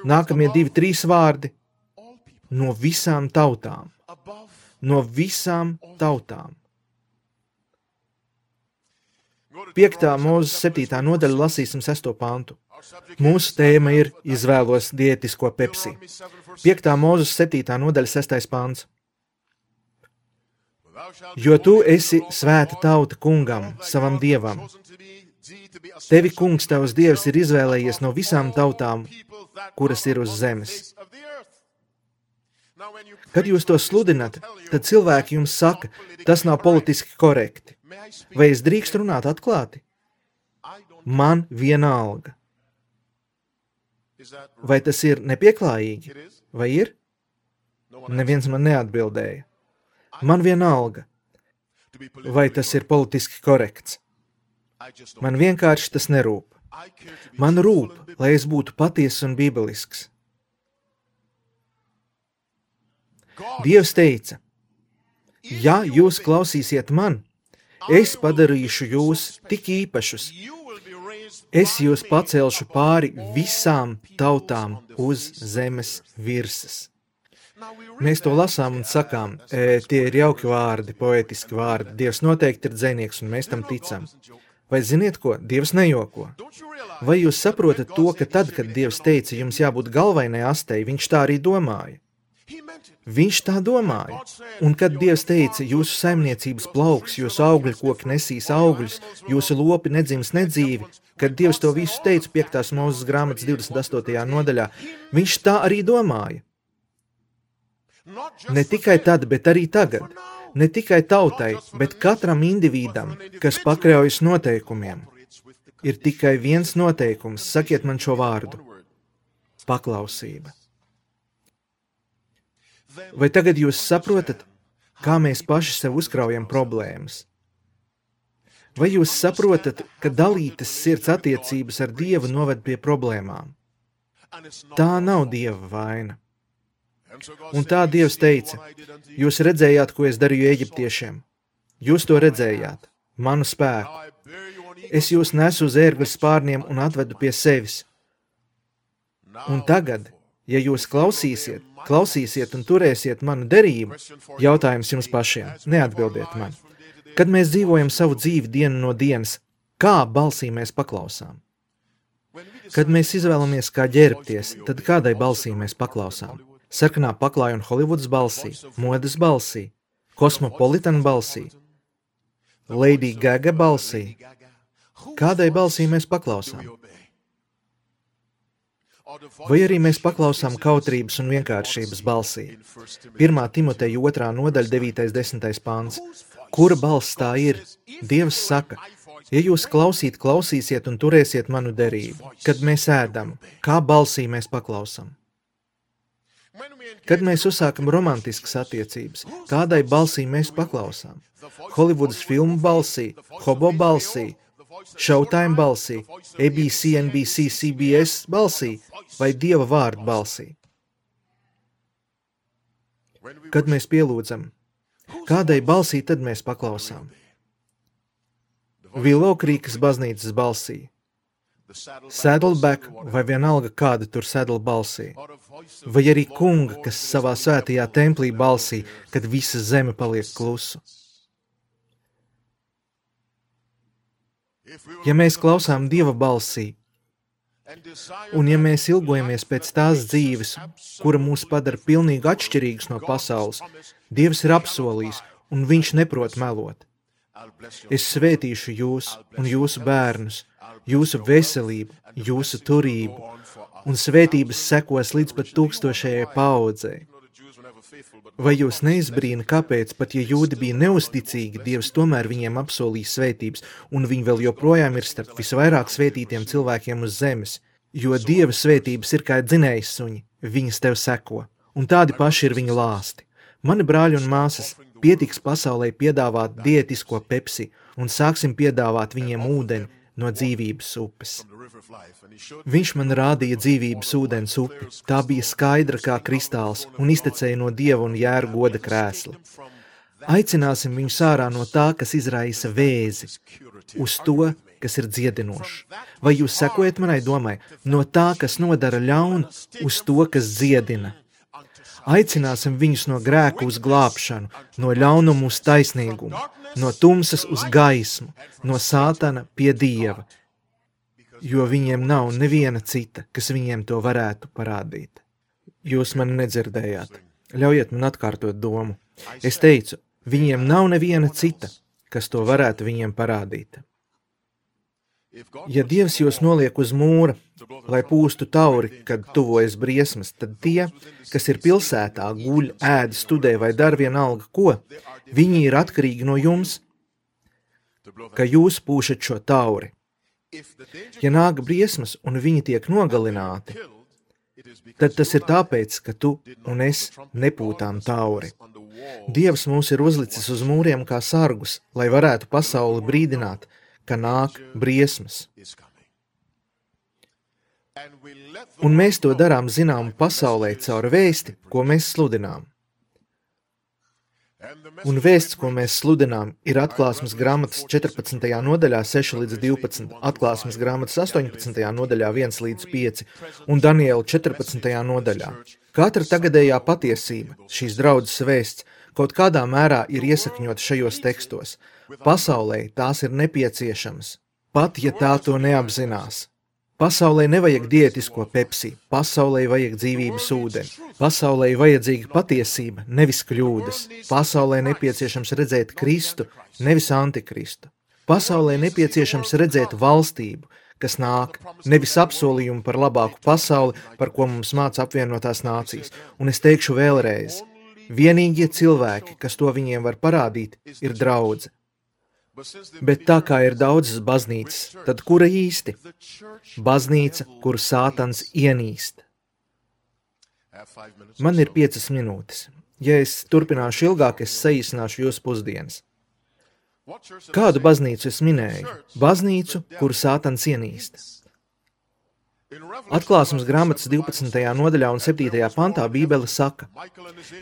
Nākamie 2, 3 vārdi. No visām tautām. No visām tautām. 5. Mūzes 7. nodaļa lasīsim 6. pantu. Mūsu tēma ir izvēlos diētisko Pepsi. 5. Mūzes 7. nodaļa 6. pants. Jo tu esi svēta tauta kungam, savam dievam. Tevi kungs tavs dievs ir izvēlējies no visām tautām, kuras ir uz zemes. Kad jūs to sludinat, tad cilvēki jums saka, tas nav politiski korekti. Vai es drīkstu runāt atklāti? Man vienalga. Vai tas ir nepieklājīgi? Vai ir? Neviens man neatbildēja. Man vienalga. Vai tas ir politiski korekts? Man vienkārši tas nerūp. Man rūp, lai es būtu patiess un bībelisks. Dievs teica, ja jūs klausīsiet man, es padarīšu jūs tik īpašus. Es jūs pacelšu pāri visām tautām uz zemes virsmas. Mēs to lasām un sakām, tie ir jauki vārdi, poetiski vārdi. Dievs noteikti ir dzejnieks un mēs tam ticam. Vai ziniet ko? Dievs nejoko. Vai jūs saprotat to, ka tad, kad Dievs teica, jums jābūt galvainai astei, viņš tā arī domāja? Viņš tā domāja. Un kad Dievs teica, jūsu saimniecības plauks, jūsu augļkoki nesīs augļus, jūsu lopi nedzims nedzīvi, kad Dievs to visu teica 5. Mūzes grāmatas 28. nodaļā, viņš tā arī domāja. Ne tikai tad, bet arī tagad. Ne tikai tautai, bet katram individam, kas pakļaujas noteikumiem. Ir tikai viens noteikums, sakiet man šo vārdu. Paklausība. Vai tagad jūs saprotat, kā mēs paši sev uzkraujam problēmas? Vai jūs saprotat, ka dalītas sirds attiecības ar Dievu noved pie problēmām? Tā nav Dieva vaina. Un tā Dievs teica, jūs redzējāt, ko es darīju eģiptiešiem. Jūs to redzējāt, manu spēku. Es jūs nesu uz ērgļu spārniem un atvedu pie sevis. Un tagad, ja jūs klausīsiet un turēsiet manu derību, jautājums jums pašiem, neatbildiet man. Kad mēs dzīvojam savu dzīvi dienu no dienas, kā balsī mēs paklausām? Kad mēs izvēlamies kā ģērbties, tad kādai balsī mēs paklausām? Sarkanā paklāja un Holivudas balsī, modes balsī, Cosmopolitan balsī, Lady Gaga balsī. Kādai balsī mēs paklausām? Vai arī mēs paklausām kautrības un vienkāršības balsī? 1. Timoteja 2. nodaļa 9.10. pants. Kura balss tā ir? Dievs saka, ja jūs klausīsiet un turēsiet manu derību, kad mēs ēdam, kā balsī mēs paklausām? Kad mēs uzsākam romantiskas attiecības, kādai balsī mēs paklausām? Holivudas filmu balsī, Hobo balsī, Showtime balsī, ABC, NBC, CBS balsī vai Dieva vārdu balsī? Kad mēs pielūdzam, kādai balsī tad mēs paklausām? Willow Creekas baznīcas balsī, Saddleback vai vienalga kāda tur Saddle balsī, vai arī kunga, kas savā svētajā templī balsī, kad visa zeme paliek klusu. Ja mēs klausām Dieva balsī, un ja mēs ilgojamies pēc tās dzīves, kura mūs padara pilnīgi atšķirīgus no pasaules, Dievs ir apsolījis, un viņš neprot melot. Es svētīšu jūs un jūsu bērnus, jūsu veselību, jūsu turību, un svētības sekos līdz pat 1000. paaudzei. Vai jūs neizbrīna, kāpēc, pat ja jūdi bija neusticīgi, Dievs tomēr viņiem apsolīja svētības, un viņi vēl joprojām ir starp visvairāk svētītiem cilvēkiem uz zemes, jo Dieva svētības ir kā dzinējs suņi, viņas tev seko, un tādi paši ir viņa lāsti. Mani brāļi un māsas, pietiks pasaulē piedāvāt diētisko Pepsi, un sāksim piedāvāt viņiem ūdeni no dzīvības upes. Viņš man rādīja dzīvības ūdens upi, tā bija skaidra kā kristāls un iztecēja no Dieva un Jēra goda krēsla. Aicināsim viņus ārā no tā, kas izraisa vēzi, uz to, kas ir dziedinošs. Vai jūs sekojat manai domai? No tā, kas nodara ļaunu, uz to, kas dziedina. Aicināsim viņus no grēka uz glābšanu, no ļaunuma uz taisnīgumu, no tumsas uz gaismu, no sātana pie Dieva, jo viņiem nav neviena cita, kas viņiem to varētu parādīt. Jūs mani nedzirdējāt. Ļaujiet man atkārtot domu. Es teicu, viņiem nav neviena cita, kas to varētu viņiem parādīt. Ja Dievs jūs noliek uz mūra, lai pūstu tauri, kad tuvojas briesmas, tad tie, kas ir pilsētā, guļ, ēd, studē vai dar vienalga ko, viņi ir atkarīgi no jums, ka jūs pūšat šo tauri. Ja nāk briesmas un viņi tiek nogalināti, tad tas ir tāpēc, ka tu un es nepūtām tauri. Dievs mūs ir uzlicis uz mūriem kā sargus, lai varētu pasauli brīdināt, ka nāk briesmas. Un mēs to darām zināmu pasaulē caur vēsti, ko mēs sludinām. Un vēsts, ko mēs sludinām, ir Atklāsmes grāmatas 14. nodaļā 6 līdz 12, Atklāsmes grāmatas 18. nodaļā 1 līdz 5 un Daniela 14. nodaļā. Katra tagadējā patiesība, šīs draudzes vēsts, kaut kādā mērā ir iesakņota šajos tekstos. Pasaulē tās ir nepieciešamas, pat ja tā to neapzinās. Pasaulē nevajag diētisko Pepsi, pasaulē vajag dzīvības ūdeni. Pasaulē vajadzīga patiesība, nevis kļūdas. Pasaulē nepieciešams redzēt Kristu, nevis Antikristu. Pasaulē nepieciešams redzēt valstību, kas nāk, nevis apsolījumu par labāku pasauli, par ko mums māca apvienotās nācijas. Un es teikšu vēlreiz, vienīgie cilvēki, kas to viņiem var parādīt, ir draudze. Bet tā kā ir daudzas baznīcas, tad kura īsti? Baznīca, kuru sātans ienīst. Man ir 5 minūtes. Ja es turpināšu ilgāk, es saīsināšu jūsu pusdienas. Kādu baznīcu es minēju? Baznīcu, kuru sātans ienīst. Atklāsmes grāmatas 12. nodaļā un 7. pantā Bībele saka: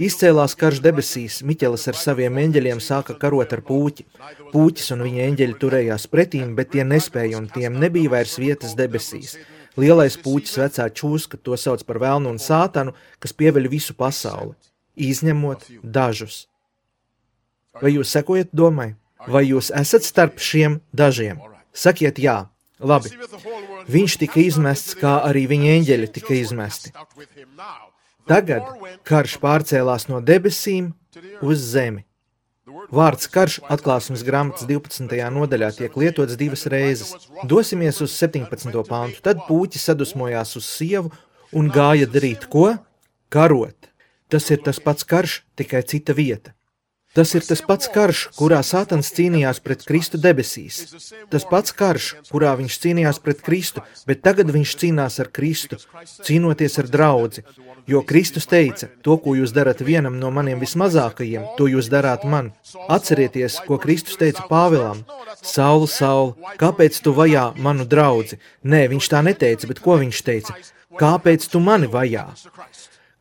Izcēlās karš debesīs, Miķelis ar saviem eņģeļiem sāka karot ar pūķi. Pūķis un viņa eņģeļi turējās pretīm, bet tie nespēja, un tiem nebija vairs vietas debesīs. Lielais pūķis vecā čūska, to sauc par velnu un sātanu, kas pieveļ visu pasauli, izņemot dažus. Vai jūs sekojat domai? Vai jūs esat starp šiem dažiem? Sakiet jā. Labi. Viņš tika izmests, kā arī viņa eņģeļi tika izmesti. Tagad karš pārcēlās no debesīm uz zemi. Vārds karš Atklāsmes grāmatas 12. nodaļā tiek lietots 2 reizes. Dosimies uz 17. pantu. Tad pūķis sadusmojās uz sievu un gāja darīt ko? Karot. Tas ir tas pats karš, tikai cita vieta. Tas ir tas pats karš, kurā Sātans cīnījās pret Kristu debesīs. Tas pats karš, kurā viņš cīnījās pret Kristu, bet tagad viņš cīnās ar Kristu, cīnoties ar draudzi. Jo Kristus teica, to, ko jūs darat vienam no maniem vismazākajiem, to jūs darāt man. Atcerieties, ko Kristus teica Pāvilam. Saul, Saul, kāpēc tu vajā manu draudzi? Nē, viņš tā neteica, bet ko viņš teica? Kāpēc tu mani vajā?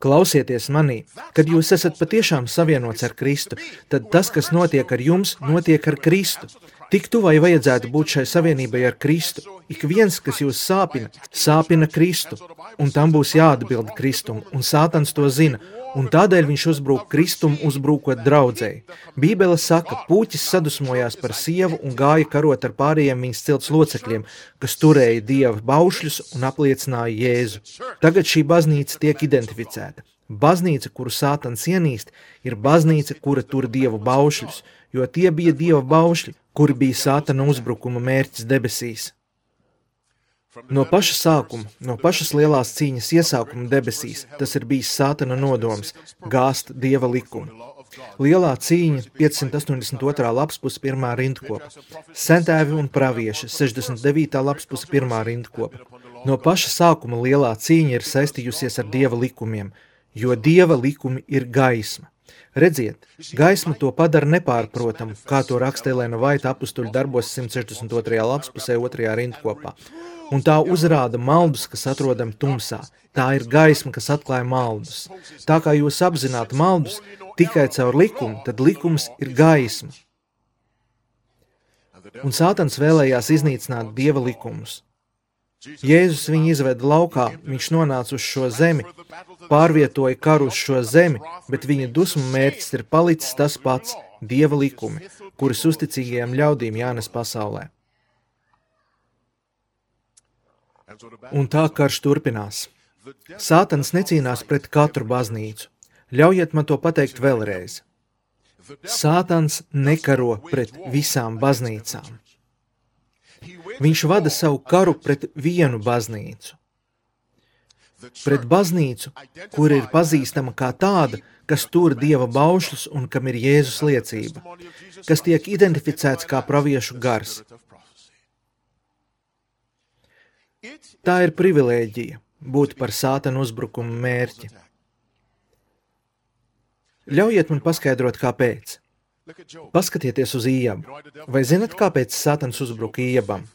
Klausieties manī, kad jūs esat patiešām savienots ar Kristu, tad tas, kas notiek ar jums, notiek ar Kristu. Tik tuvai vajadzētu būt šai savienībai ar Kristu. Ik viens, kas jūs sāpina Kristu, un tam būs jāatbild Kristum, un Sātans to zina, un tādēļ viņš uzbrūk Kristum, uzbrūkot draudzēji. Bībele saka, pūķis sadusmojās par sievu un gāja karot ar pārējiem viņas cilts locekļiem, kas turēja Dieva baušļus un apliecināja Jēzu. Tagad šī baznīca tiek identificēta. Baznīca, kuru Sātans ienīst, ir baznīca, kura tur Dieva baušļus, jo tie bija Dieva baušļi, kuri bija Sātana uzbrukuma mērķis debesīs. No paša sākuma, no pašas lielās cīņas iesākuma debesīs, tas ir bijis Sātana nodoms – gāzt Dieva likumu. Lielā cīņa, 582. lapspuse, 1. rindkopa. Sentēvi un pravieši, 69. lapspuse, 1. rindkopa. No paša sākuma lielā cīņa ir saistījusies ar Dieva likumiem, jo Dieva likumi ir gaisma. Redziet, gaisma to padara nepārprotamu, kā to raksta Elēna Vaita apustuļu darbos 162. lapspusē 2. rindkopā. Un tā uzrāda maldus, kas atrodam tumsā. Tā ir gaisma, kas atklāja maldus. Tā kā jūs apzināt maldus tikai caur likumu, tad likums ir gaisma. Un Sātans vēlējās iznīcināt Dieva likumus. Jēzus viņu izveda laukā, viņš nonāca uz šo zemi, pārvietoja karu uz šo zemi, bet viņa dusmu mērķis ir palicis tas pats – Dieva likumi, kuras uzticīgajiem ļaudīm jānes pasaulē. Un tā karš turpinās. Sātans necīnās pret katru baznīcu. Ļaujiet man to pateikt vēlreiz. Sātans nekaro pret visām baznīcām. Viņš vada savu karu pret vienu baznīcu. Pret baznīcu, kur ir pazīstama kā tāda, kas tur Dieva baušļus un kam ir Jēzus liecība, kas tiek identificēts kā praviešu gars. Tā ir privilēģija būt par Sātana uzbrukuma mērķi. Ļaujiet man paskaidrot, kāpēc. Paskatieties uz Ījabu. Vai zinat, kāpēc Sātans uzbruka Ījabam?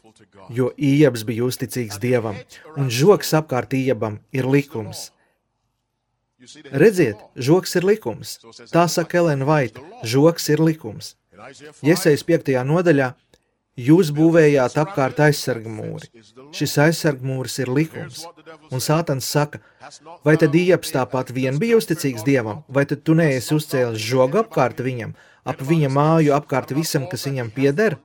Jo Ījabs bija uzticīgs Dievam, un žoks apkārt Ījabam ir likums. Redziet, žoks ir likums. Tā saka Elēna Vaita, žoks ir likums. Jesajas 5. nodaļā jūs būvējāt apkārt aizsargmūri. Šis aizsargmūris ir likums. Un Sātans saka, vai tad Ījabs tāpat vien bija uzticīgs Dievam, vai tad tu neesi uzcēlis žogu apkārt viņam, ap viņa māju, apkārt visam, kas viņam pieder?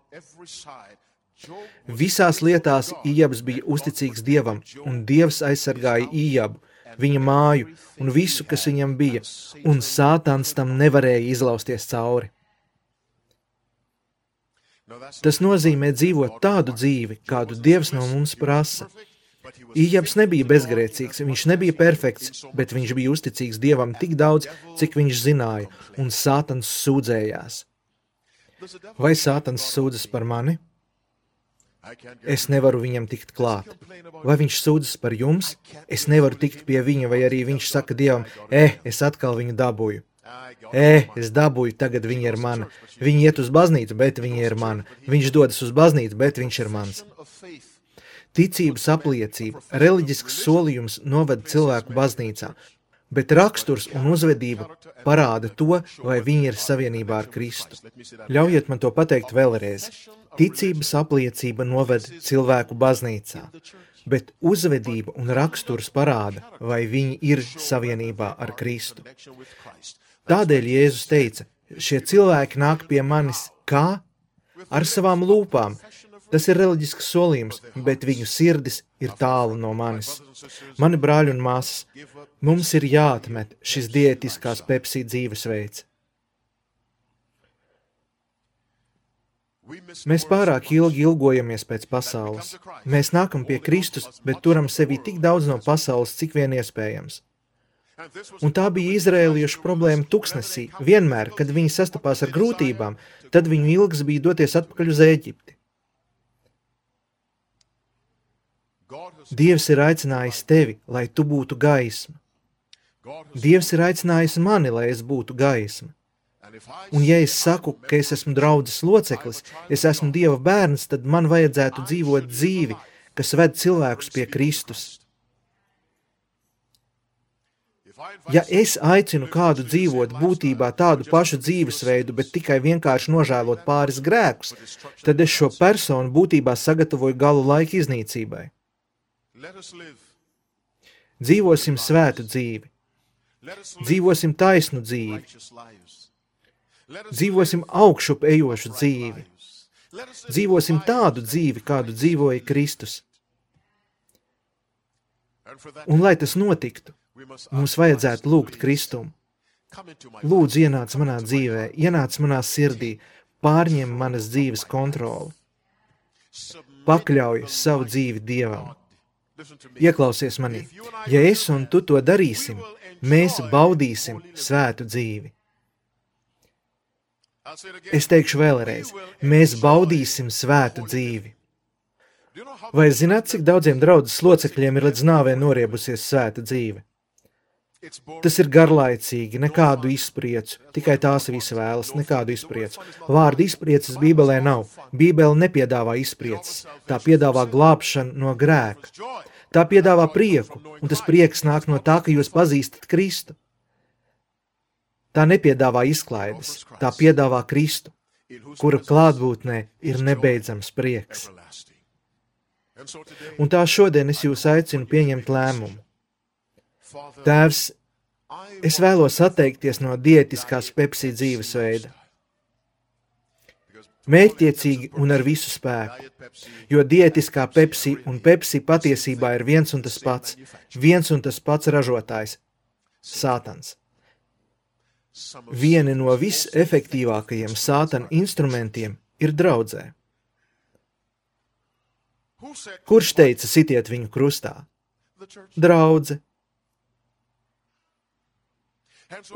Visās lietās Ījabs bija uzticīgs Dievam, un Dievs aizsargāja Ījabu, viņa māju un visu, kas viņam bija, un Sātans tam nevarēja izlausties cauri. Tas nozīmē dzīvot tādu dzīvi, kādu Dievs no mums prasa. Ījabs nebija bezgrēcīgs, viņš nebija perfekts, bet viņš bija uzticīgs Dievam tik daudz, cik viņš zināja, un Sātans sūdzējās. Vai Sātans sūdzas par mani? Es nevaru viņam tikt klāt. Vai viņš sūdzas par jums? Es nevaru tikt pie viņa, vai arī viņš saka Dievam, es atkal viņu dabūju. Es dabūju, tagad viņa ir mana. Viņa iet uz baznīcu, bet viņa ir mana. Viņš dodas uz baznīcu, bet viņš ir mans. Ticības apliecība, reliģisks solījums noved cilvēku baznīcā, bet raksturs un uzvedība parāda to, vai viņi ir savienībā ar Kristu. Ļaujiet man to pateikt vēlreiz. Ticības apliecība noved cilvēku baznīcā, bet uzvedība un raksturs parāda, vai viņi ir savienībā ar Kristu. Tādēļ Jēzus teica, šie cilvēki nāk pie manis kā? Ar savām lūpām. Tas ir reliģisks solījums, bet viņu sirdis ir tālu no manis. Mani brāļi un māsas, mums ir jāatmet šis diētiskās Pepsi dzīvesveids. Mēs pārāk ilgi ilgojamies pēc pasaules. Mēs nākam pie Kristus, bet turam sevi tik daudz no pasaules, cik vien iespējams. Un tā bija izrēliešu problēma tuksnesī. Vienmēr, kad viņi sastapās ar grūtībām, tad viņu ilgs bija doties atpakaļ uz Ēģipti. Dievs ir aicinājis tevi, lai tu būtu gaisma. Dievs ir aicinājis mani, lai es būtu gaisma. Un ja es saku, ka es esmu draudzes loceklis, es esmu Dieva bērns, tad man vajadzētu dzīvot dzīvi, kas ved cilvēkus pie Kristus. Ja es aicinu kādu dzīvot būtībā tādu pašu dzīvesveidu, bet tikai vienkārši nožēlot pāris grēkus, tad es šo personu būtībā sagatavoju galu laika iznīcībai. Dzīvosim svētu dzīvi. Dzīvosim taisnu dzīvi. Dzīvosim augšup ejošu dzīvi. Dzīvosim tādu dzīvi, kādu dzīvoja Kristus. Un lai tas notiktu, mums vajadzētu lūgt Kristumu. Lūdzu, ienāc manā dzīvē, ienāc manā sirdī, pārņem manas dzīves kontroli. Pakļauj savu dzīvi Dievam. Ieklausies manī, ja es un tu to darīsim, mēs baudīsim svētu dzīvi. Es teikšu vēlreiz, mēs baudīsim svētu dzīvi. Vai zināt, cik daudziem draudzes locekļiem ir līdz nāvei noriebusies svēta dzīve? Tas ir garlaicīgi, nekādu izpriecu, tikai tās visi vēlas, nekādu izpriecu. Vārdu izprieces Bībelē nav. Bībele nepiedāvā izprieces, tā piedāvā glābšanu no grēka. Tā piedāvā prieku, un tas prieks nāk no tā, ka jūs pazīstat Kristu. Tā nepiedāvā izklaides, tā piedāvā Kristu, kura klātbūtnē ir nebeidzams prieks. Un tā šodien es jūs aicinu pieņemt lēmumu. Tēvs, es vēlos atteikties no diētiskās Pepsi dzīvesveida. Mērķtiecīgi un ar visu spēku, jo diētiskā Pepsi un Pepsi patiesībā ir viens un tas pats ražotājs – Sātans. Vieni no visefektīvākajiem Sātana instrumentiem ir draudzē. Kurš teica sitiet viņu krustā? Draudze.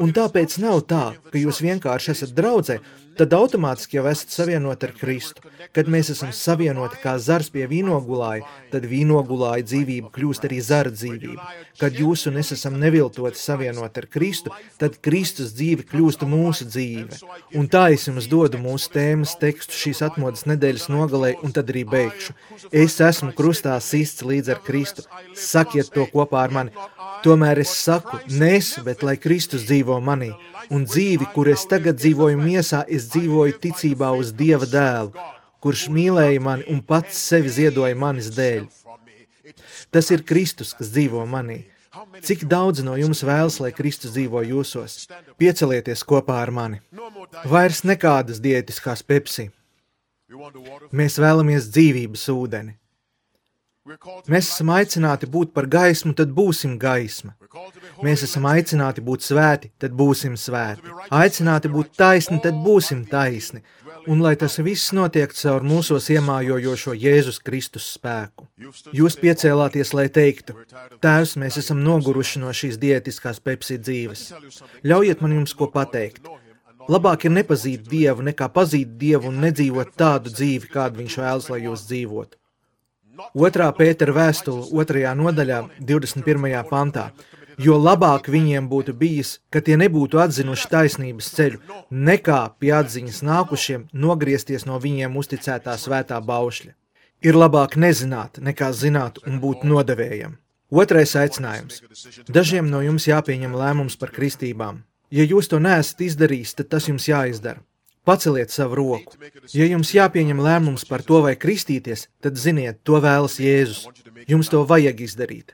Un tāpēc nav tā, ka jūs vienkārši esat draudzē, tad automātiski jau esat savienoti ar Kristu. Kad mēs esam savienoti kā zars pie vīnogulāja, tad vīnogulāja dzīvība kļūst arī zara dzīvība. Kad jūs un es esam neviltoti savienoti ar Kristu, tad Kristus dzīve kļūst mūsu dzīve. Un tā es jums dodu mūsu tēmas tekstu šīs atmodas nedēļas nogalē, un tad arī beigšu. Es esmu krustā sists līdz ar Kristu. Sakiet to kopā ar mani. Tomēr es saku, nes, bet lai Kristus dzīvo manī, un dzīvi, kur es tagad dzīvoju miesā, es dzīvoju ticībā uz Dieva dēlu, kurš mīlēja mani un pats sevi ziedoja manis dēļ. Tas ir Kristus, kas dzīvo manī. Cik daudz no jums vēlas, lai Kristus dzīvo jūsos? Piecelieties kopā ar mani. Vairs nekādas diētiskās Pepsi. Mēs vēlamies dzīvības ūdeni. Mēs esam aicināti būt par gaismu, tad būsim gaisma. Mēs esam aicināti būt svēti, tad būsim svēti. Aicināti būt taisni, tad būsim taisni. Un lai tas viss notiek caur mūsos iemājojošo Jēzus Kristus spēku. Jūs piecēlāties, lai teiktu, Tēvs, mēs esam noguruši no šīs diētiskās Pepsi dzīves. Ļaujiet man jums ko pateikt. Labāk ir nepazīt Dievu, nekā pazīt Dievu un nedzīvot tādu dzīvi, kādu viņš vēlas, lai jūs dzīvotu. 2. Pētera vēstule 2. nodaļā 21. pantā. Jo labāk viņiem būtu bijis, ka tie nebūtu atzinuši taisnības ceļu, nekā pie atziņas nākušiem nogriezties no viņiem uzticētā svētā baušļa. Ir labāk nezināt, nekā zināt un būt nodevējam. Otrais aicinājums. Dažiem no jums jāpieņem lēmums par kristībām. Ja jūs to neesat izdarījis, tad tas jums jāizdara. Paceliet savu roku. Ja jums jāpieņem lēmums par to, vai kristīties, tad ziniet, to vēlas Jēzus. Jums to vajag izdarīt.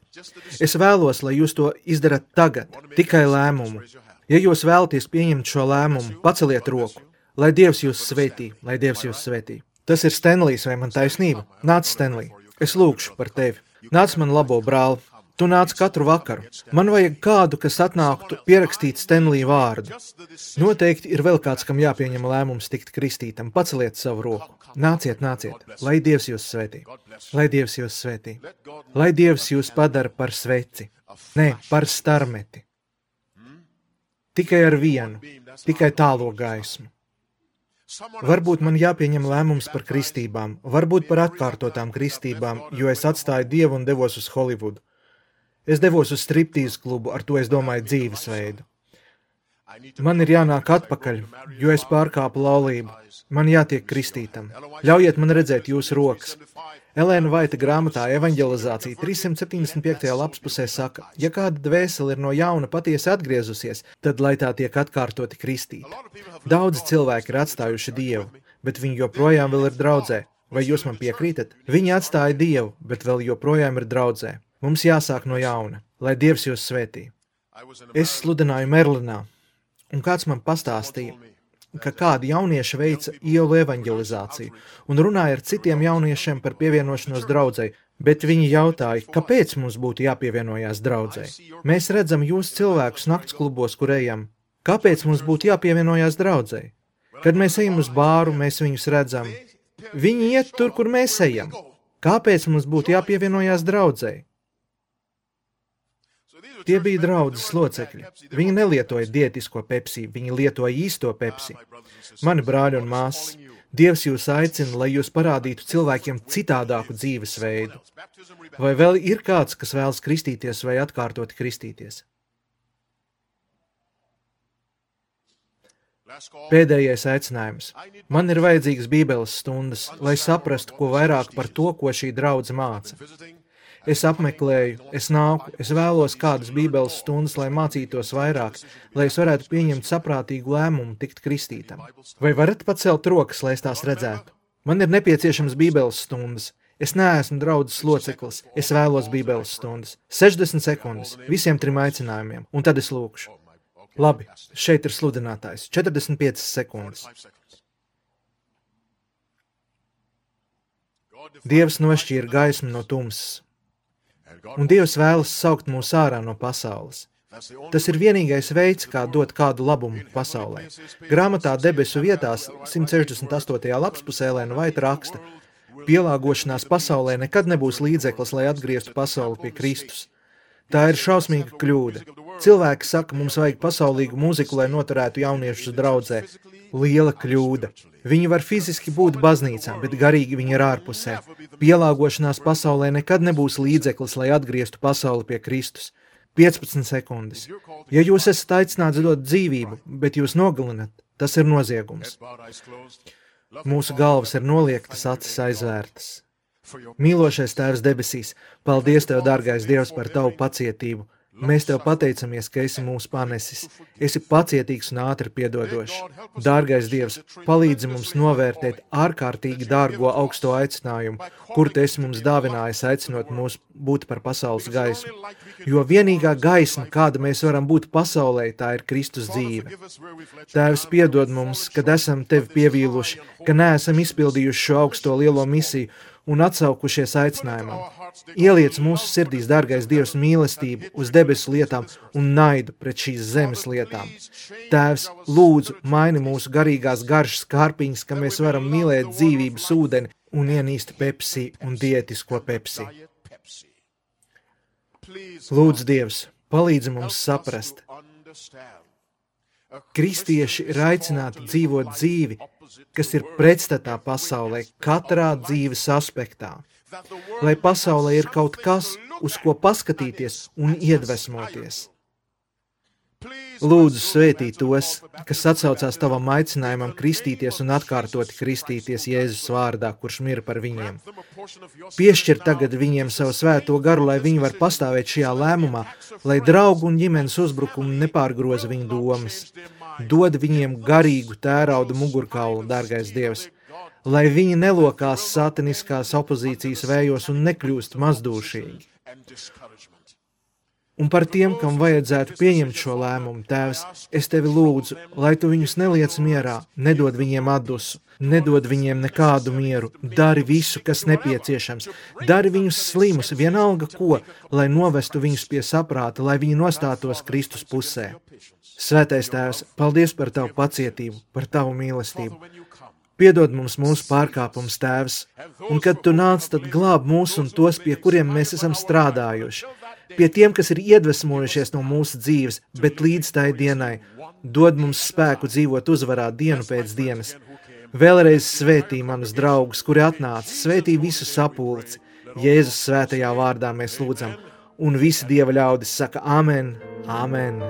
Es vēlos, lai jūs to izdarat tagad, tikai lēmumu. Ja jūs vēlaties pieņemt šo lēmumu, paceliet roku. Lai Dievs jūs svētī, lai Dievs jūs svētī. Tas ir Stenlijs, vai man taisnība? Nāc, Stenlij, es lūkšu par tevi. Nāc man labo brāli. Tu nāc katru vakaru. Man vajag kādu, kas atnāktu pierakstīt Stenlija vārdu. Noteikti ir vēl kāds, kam jāpieņem lēmums tikt kristītam. Paceliet savu roku. Nāciet, nāciet. Lai Dievs jūs svētī. Lai Dievs jūs svētī. Lai Dievs jūs padara par sveci. Nē, par starmeti. Tikai ar vienu. Tikai tālo gaismu. Varbūt man jāpieņem lēmums par kristībām. Varbūt par atkārtotām kristībām, jo es atstāju Dievu un devos uz Holivudu. Es devos uz striptīzu klubu, ar to es domāju dzīvesveidu. Man ir jānāk atpakaļ, jo es pārkāpu laulību. Man jātiek kristītam. Ļaujiet man redzēt jūsu rokas. Elēna Vaita grāmatā Evanģelizācija 375. lapspusē saka, ja kāda dvēsele ir no jauna patiesi atgriezusies, tad lai tā tiek atkārtoti kristīta. Daudzi cilvēki ir atstājuši Dievu, bet viņi joprojām vēl ir draudzē. Vai jūs man piekrītat? Viņi atstāja Dievu, bet vēl joprojām ir draudzē. Mums jāsāk no jauna, lai Dievs jūs svētī. Es sludināju Merlinā, un kāds man pastāstīja, ka kādi jaunieši veica ielu evanģelizāciju un runāja ar citiem jauniešiem par pievienošanos draudzei, bet viņi jautāja, kāpēc mums būtu jāpievienojās draudzei. Mēs redzam jūs cilvēkus naktsklubos, kur ejam. Kāpēc mums būtu jāpievienojās draudzei? Kad mēs ejam uz bāru, mēs viņus redzam. Viņi iet tur, kur mēs ejam. Kāpēc mums būtu jāpievienojās draudzei? Tie bija draudzes locekļi. Viņi nelietoja diētisko Pepsi, viņi lietoja īsto Pepsi. Mani brāļi un māsas, Dievs jūs aicina, lai jūs parādītu cilvēkiem citādāku dzīvesveidu. Vai vēl ir kāds, kas vēlas kristīties vai atkārtoti kristīties? Pēdējais aicinājums. Man ir vajadzīgas bībeles stundas, lai saprastu, ko vairāk par to, ko šī draudze māca. Es apmeklēju, es nāku, es vēlos kādas bībeles stundas, lai mācītos vairāk, lai es varētu pieņemt saprātīgu lēmumu tikt kristītam. Vai varat pacelt rokas, lai es tās redzētu? Man ir nepieciešams bībeles stundas. Es neesmu draudzes loceklis, es vēlos bībeles stundas. 60 sekundes, visiem 3 aicinājumiem, un tad es lūkšu. Labi, šeit ir sludinātājs, 45 sekundes. Dievs nošķīra gaismu no tumsas. Un Dievs vēlas saukt mūs ārā no pasaules. Tas ir vienīgais veids, kā dot kādu labumu pasaulē. Grāmatā Debesu vietās 168. lapspusē Elēna Vaita raksta, pielāgošanās pasaulē nekad nebūs līdzeklis, lai atgrieztu pasauli pie Kristus. Tā ir šausmīga kļūda. Cilvēki saka, mums vajag pasaulīgu mūziku, lai noturētu jauniešus draudzē. Liela kļūda. Viņi var fiziski būt baznīcā, bet garīgi viņi ir ārpusē. Pielāgošanās pasaulē nekad nebūs līdzeklis, lai atgrieztu pasauli pie Kristus. 15 sekundes. Ja jūs esat aicināts dot dzīvību, bet jūs nogalinat, tas ir noziegums. Mūsu galvas ir noliektas, acis aizvērtas. Mīlošais Tēvs debesīs, paldies Tev, dārgais Dievs, par Tavu pacietību. Mēs Tev pateicamies, ka esi mūs panesis. Esi pacietīgs un ātri piedodošs. Dārgais Dievs, palīdzi mums novērtēt ārkārtīgi dārgo augsto aicinājumu, kur Tu esi mums dāvinājis, aicinot mūs būt par pasaules gaismu. Jo vienīgā gaisma, kāda mēs varam būt pasaulē, tā ir Kristus dzīve. Tēvs, piedod mums, kad esam Tevi pievīluši, ka neesam izpildījuši šo augsto lielo misiju un atsaukušies aicinājumam. Ieliec mūsu sirdīs, dārgais Dievs, mīlestību uz debesu lietām un naidu pret šīs zemes lietām. Tēvs, lūdzu, maini mūsu garīgās garšas kārpiņas, ka mēs varam mīlēt dzīvības ūdeni un ienīst Pepsi un diētisko Pepsi. Lūdzu, Dievs, palīdzi mums saprast. Kristieši ir aicināti dzīvot dzīvi, kas ir pretstatā pasaulē katrā dzīves aspektā. Lai pasaulē ir kaut kas, uz ko paskatīties un iedvesmoties. Lūdzu, svētī tos, kas atsaucās tavam aicinājumam kristīties un atkārtoti kristīties Jēzus vārdā, kurš mira par viņiem. Piešķir tagad viņiem savu svēto garu, lai viņi var pastāvēt šajā lēmumā, lai draugu un ģimenes uzbrukumi nepārgroza viņu domas. Dod viņiem garīgu tērauda mugurkaulu, dārgais Dievs, lai viņi nelokās sataniskās opozīcijas vējos un nekļūst mazdūšīgi. Un par tiem, kam vajadzētu pieņemt šo lēmumu, Tēvs, es tevi lūdzu, lai tu viņus neliec mierā, nedod viņiem atdusu, nedod viņiem nekādu mieru, dari visu, kas nepieciešams, dari viņus slimus, vienalga ko, lai novestu viņus pie saprāta, lai viņi nostātos Kristus pusē. Svētais Tēvs, paldies par tavu pacietību, par tavu mīlestību. Piedod mums mūsu pārkāpumus, Tēvs, un kad tu nāc, tad glāb mūs un tos, pie kuriem mēs esam strādājuši. Pie tiem, kas ir iedvesmojušies no mūsu dzīves, bet līdz tai dienai dod mums spēku dzīvot uzvarā dienu pēc dienas. Vēlreiz svētī manus draugus, kuri atnāca, svētī visu sapulci. Jēzus svētajā vārdā mēs lūdzam, un visi Dieva ļaudis saka amen, amen.